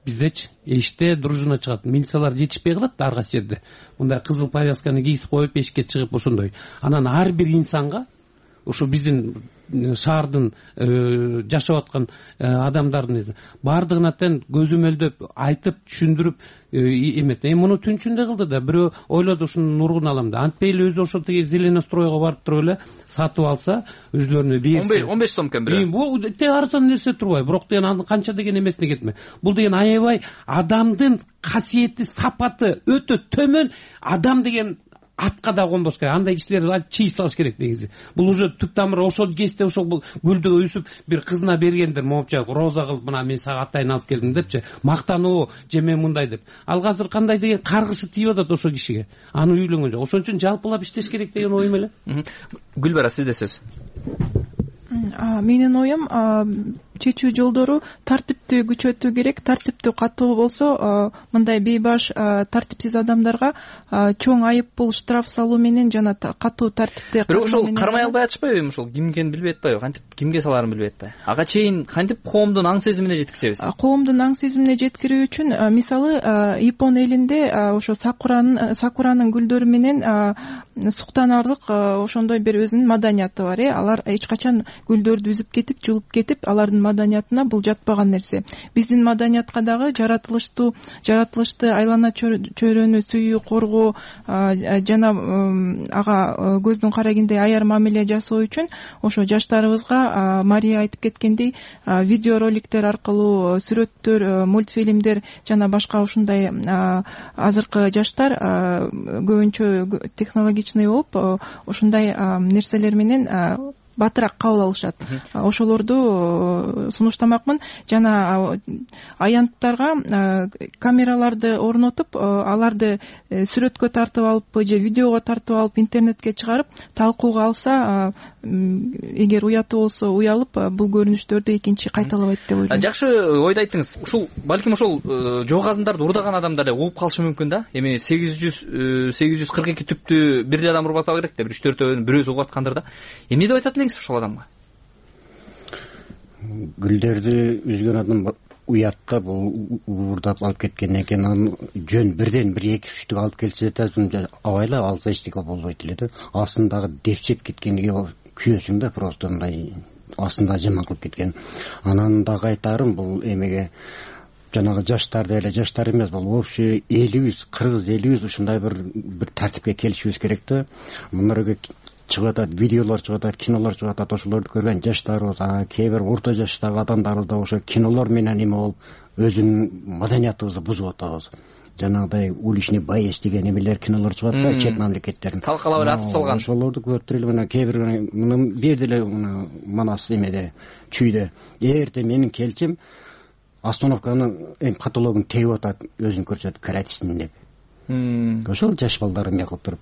биздечи эшикте дружина чыгат, милициялар жетишпей калат ар кайсы жерде, мындай кызыл повязканы кийип коюп эшикке чыгып ошондой. Анан ар бир инсанга ошо биздин шаардын жашап аткан адамдардын баардыгына тең көзөмөлдөп айтып түшүндүрүп эметти. Муну түн ичинде кылды да, бирөө ойлоду ушунун нургун алам да. Антпей эле өзү ошол тиги зеленостройго барып туруп эле сатып алса, өзлөрүнө берсе 15 сом экен бирөө. Бул те арзан нерсе турбайбы? Бирок деген анын канча деген эмесине кетме. Бул деген аябай адамдын касиети, сапаты өтө төмөн. Адам деген атка да конбош керек. Андай кишилерди чийип салыш керек негизи. Бул уже түп тамыры ошол кезде ошол гүлдү өсүп бир кызына бергендер, момча роза кылып, мына мен сага атайын алып келдим депчи, мактануу же мен мындай деп. Ал азыр кандай деген каргышы тийип атат ошол кишиге. Аны үйлөнгөн жок. Ошон үчүн жалпылап иштеш керек деген оюм эле. Гүлбара, сизде сөз. Менин оюм, чечүү жолдору тартипти күчөтүү керек. Тартипти катуу болсо, мындай бейбаш тартипсиз адамдарга чоң айыппул, штраф салуу менен жана катуу тартипти. Бирок ошол кармай албай атышпайбы? Ошол ким экенин билбей атпайбы? Кантип кимге салаарын билбей атпайбы? Ага чейин кантип коомдун аң сезимине жеткизебиз? Коомдун аң сезимине жеткирүү үчүн мисалы Япон элинде ошо сакуранын гүлдөрү менен суктанарлык ошондой бир өзүнүн маданияты бар. Алар эч качан гүлдөрдү үзүп кетип, жулуп кетип, алардын маданиятына бул жатпаган нерсе. Биздин маданиятка дагы жаратылышты айлана чөйрөнү сүйүү, коргоо жана ага көздүн карагендей аяр мамиле жасоо үчүн ошо жаштарыбызга Мария айтып кеткендей видео роликтер аркылуу, сүрөттөр, мультфильмдер жана башка ушундай азыркы жаштар көбүнчө технологичный болуп, ушундай нерселер менен батыраак кабыл алышат. Ошолорду сунуштамакмын. Жана аянттарга камераларды орнотуп, аларды сүрөткө тартып алып же видеого тартып алып интернетке чыгарып талкууга алса, эгер уятуу болсо уялып, бул көрүнүштөрдү экинчи кайталабайт деп ойлойм. Жакшы ойду айттыңыз. Ушул балким ошол жоогазындарды урдаган адамдар эле угуп калышы мүмкүн да. Эми 842 түптү бир адам урбап атпак керек да, бир 3-4 бирөөсү угуп аткандыр да. Эмне деп айтат элеңиз ошол адамга? Гүлдөрдү үзгөн адам уятта бул уурдап алып кеткен экен. Анын жөн бирден бир 2-3 алып келсе да абайлап алса эчтеке болбойт эле да. Астындагы депчеп кеткениге күйөөсүң да, просто мындай астында жаман кылып кеткен. Анан дагы айтарым, бул эмеге жанагы жаштарды эле, жаштар эмес, бул общий элибиз, 40-50 ушундай бир тартипке келишибиз керек да. Мынарга чыгып атат, видеолор чыгып атат, кинолор чыгып атат, ошолорду көргөн жаштарыбыз, кээ бир орто жаштагы адамдарыбыз да ошо кинолор менен эме болуп, өзүнүн маданиятыбызды бузуп атабыз. Жанагыдай уличный боец деген эмелер, кинолор чыгат да, чет мамлекеттердин. Талкалап эле атып салган. Ошолорду көрүп эле, мына кээ бир муну берди эле Манас эмеде, чүйдө. Эрте менин келчим остановканы каталогун тебип атат, өзүн көрсөтүп каратсын деп. Ошол жаш балдар эме кылып туруп.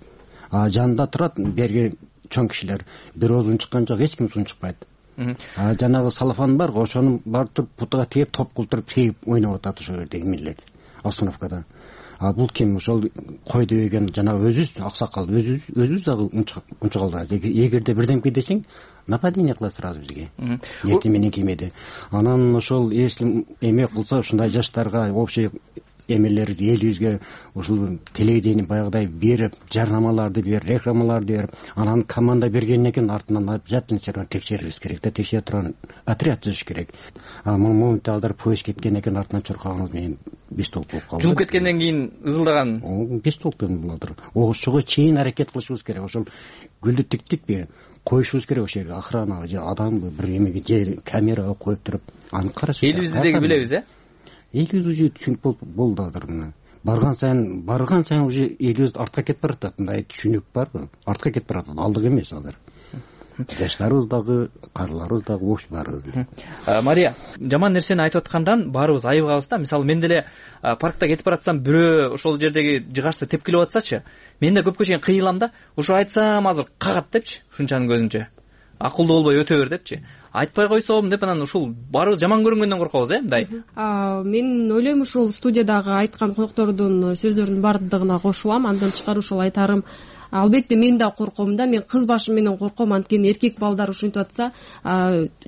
Жанында турат берги чоң кишилер, бирөө узун чыккан жок, эч ким узун чыкпайт. Жанагы салафан бар, ошону барып путуга тегип, топ кылтырып тегип ойноп атат ошол жердеги эмелер остановкада. Бул ким? Ошол койду деген жанагы өзүбүз, аксакал өзүбүз дагы унчукалда. Эгерде бирдемке десең, нападение кылат сразу бизге. Эртең менен кимеди. Анан ошол если эме кылса, ушундай жаштарга общий эмелерди элибизге ушул телевидение баягыдай берип, жарнамаларды берип, рекламаларды берип, анан команда бергенден кийин артынан обязательно текшерибиз керек да, текшере турган отряд түзүш керек. Моментте алдар поезд кеткенден кийин артынан чуркаганыбыз менен беш толук болуп калды. Жулуп кеткенден кийин ызылдаган беш толук булдыр. Ошого чейин аракет кылышыбыз керек. Ошол гүлдү тиктип коюшубуз керек ошол жерге, охрана же адамды бир эмеге же камерага коюп туруп аны караш. Элибизди деги билебиз, элибиз уже түшүнүк болду азыр мына. Барган сайын уже элибиз артка кетип баратат. Мындай түшүнүк барбы? Артка кетип баратат. Алдык эмес азыр. Жаштарыбыз дагы, карларыбыз дагы ош бар. Мария, жаман нерсени айтып аткандан баарыбыз айыгабыз да. Мисалы, мен деле паркта кетип баратсам, бирөө ошол жердеги жыгачты тепкилеп атсачы, мен да көпкө чейин кыйылам да. Ошо айтсам азыр кагат депчи, ушунчанын көзүнчө. Акылдуу болбой өтө бер депчи. Айтпай койсом деп, анан ушул баарыбыз жаман көрүнгөндөн коркобуз, мындай. Мен ойлойм, ушул студиядагы айткан коноктордун сөздөрүнүн бардыгына кошулам. Андан тышкары ушул айтарым, албетте мен да корком да, мен кыз башы менен корком, анткени эркек балдар ушинтип атса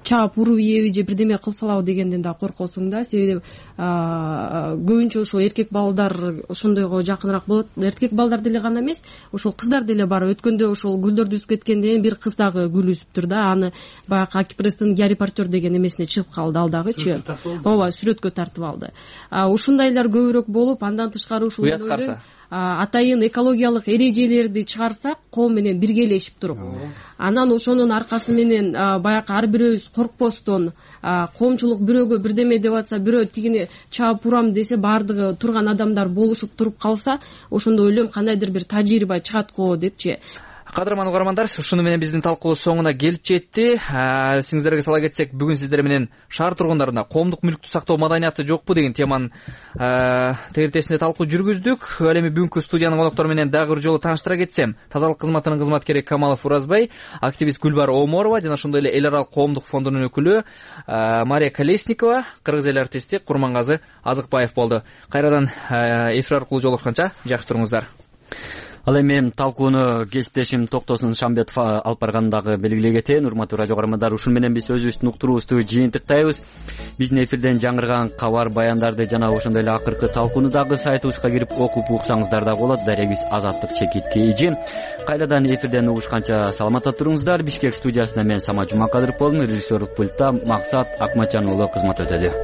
чаап уруп ийеби же бирдеме кылсалабы дегенден да коркосуң да, себеби көбүнчө ошол эркек балдар ошондойго жакыныраак болот. Эркек балдар деле гана эмес, ошол кыздар деле бар. Өткөндө ошол гүлдөрдү үзүп кеткенден кийин бир кыз дагы гүл үзүптүр да, аны баягы Акипресстин Гарри Поттер деген эмесине чыгып калды, ал дагычы ооба сүрөткө тартып алды. Ушундайлар көбүрөөк болуп, андан тышкары ушул атайын экологиялык эрежелерди чыгарсак, коом менен биргелешип туруп, анан ошонун аркасы менен баягы ар бирөөбүз коркпостон, коомчулук бирөөгө бирдеме деп атса, бирөө тигини чаап урам десе, баардыгы турган адамдар болушуп туруп калса, ошондо ойлойм кандайдыр бир тажрыйба чыгат го депчи. Кадырман угармандар, ушуну менен биздин талкуубуз соңуна келип жетти. Сиңиздерге сала кетсек, бүгүн сиздер менен шаар тургундарына коомдук мүлктү сактоо маданияты жокпу деген теманын тегертесинде талкуу жүргүздүк. Ал эми бүгүнкү студиянын коноктору менен дагы бир жолу тааныштыра кетсем, тазалык кызматынын кызматкери Камалов Уразбай, активист Гүлбар Оморова жана ошондой эле эл аралык коомдук фондунун өкүлү Мария Колесникова, кыргыз эл артисти Курмангазы Азыкбаев болду. Кайрадан эфир аркылуу жолугушканча жакшы туруңуздар. Ал эми талкууну кесиптешим Токтосун Шамбетов алып баргандагы белгилей кетейин. Урматтуу радио көрөрмандар, ушун менен биз өзүбүздүн уктуруубузду жыйынтыктайбыз. Биздин эфирден жаңырган кабар баяндарды жана ошондой эле акыркы талкууну дагы сайтыбызга кирип окуп уксаңыздар да болот. Дарегибиз Азаттык ЧК. Кайрадан эфирден угушканча саламатта туруңуздар. Бишкек студиясында мен Самат Жумакадыров болдум. Режиссерлук пультта Максат Акматжан уулу кызмат өтөдү.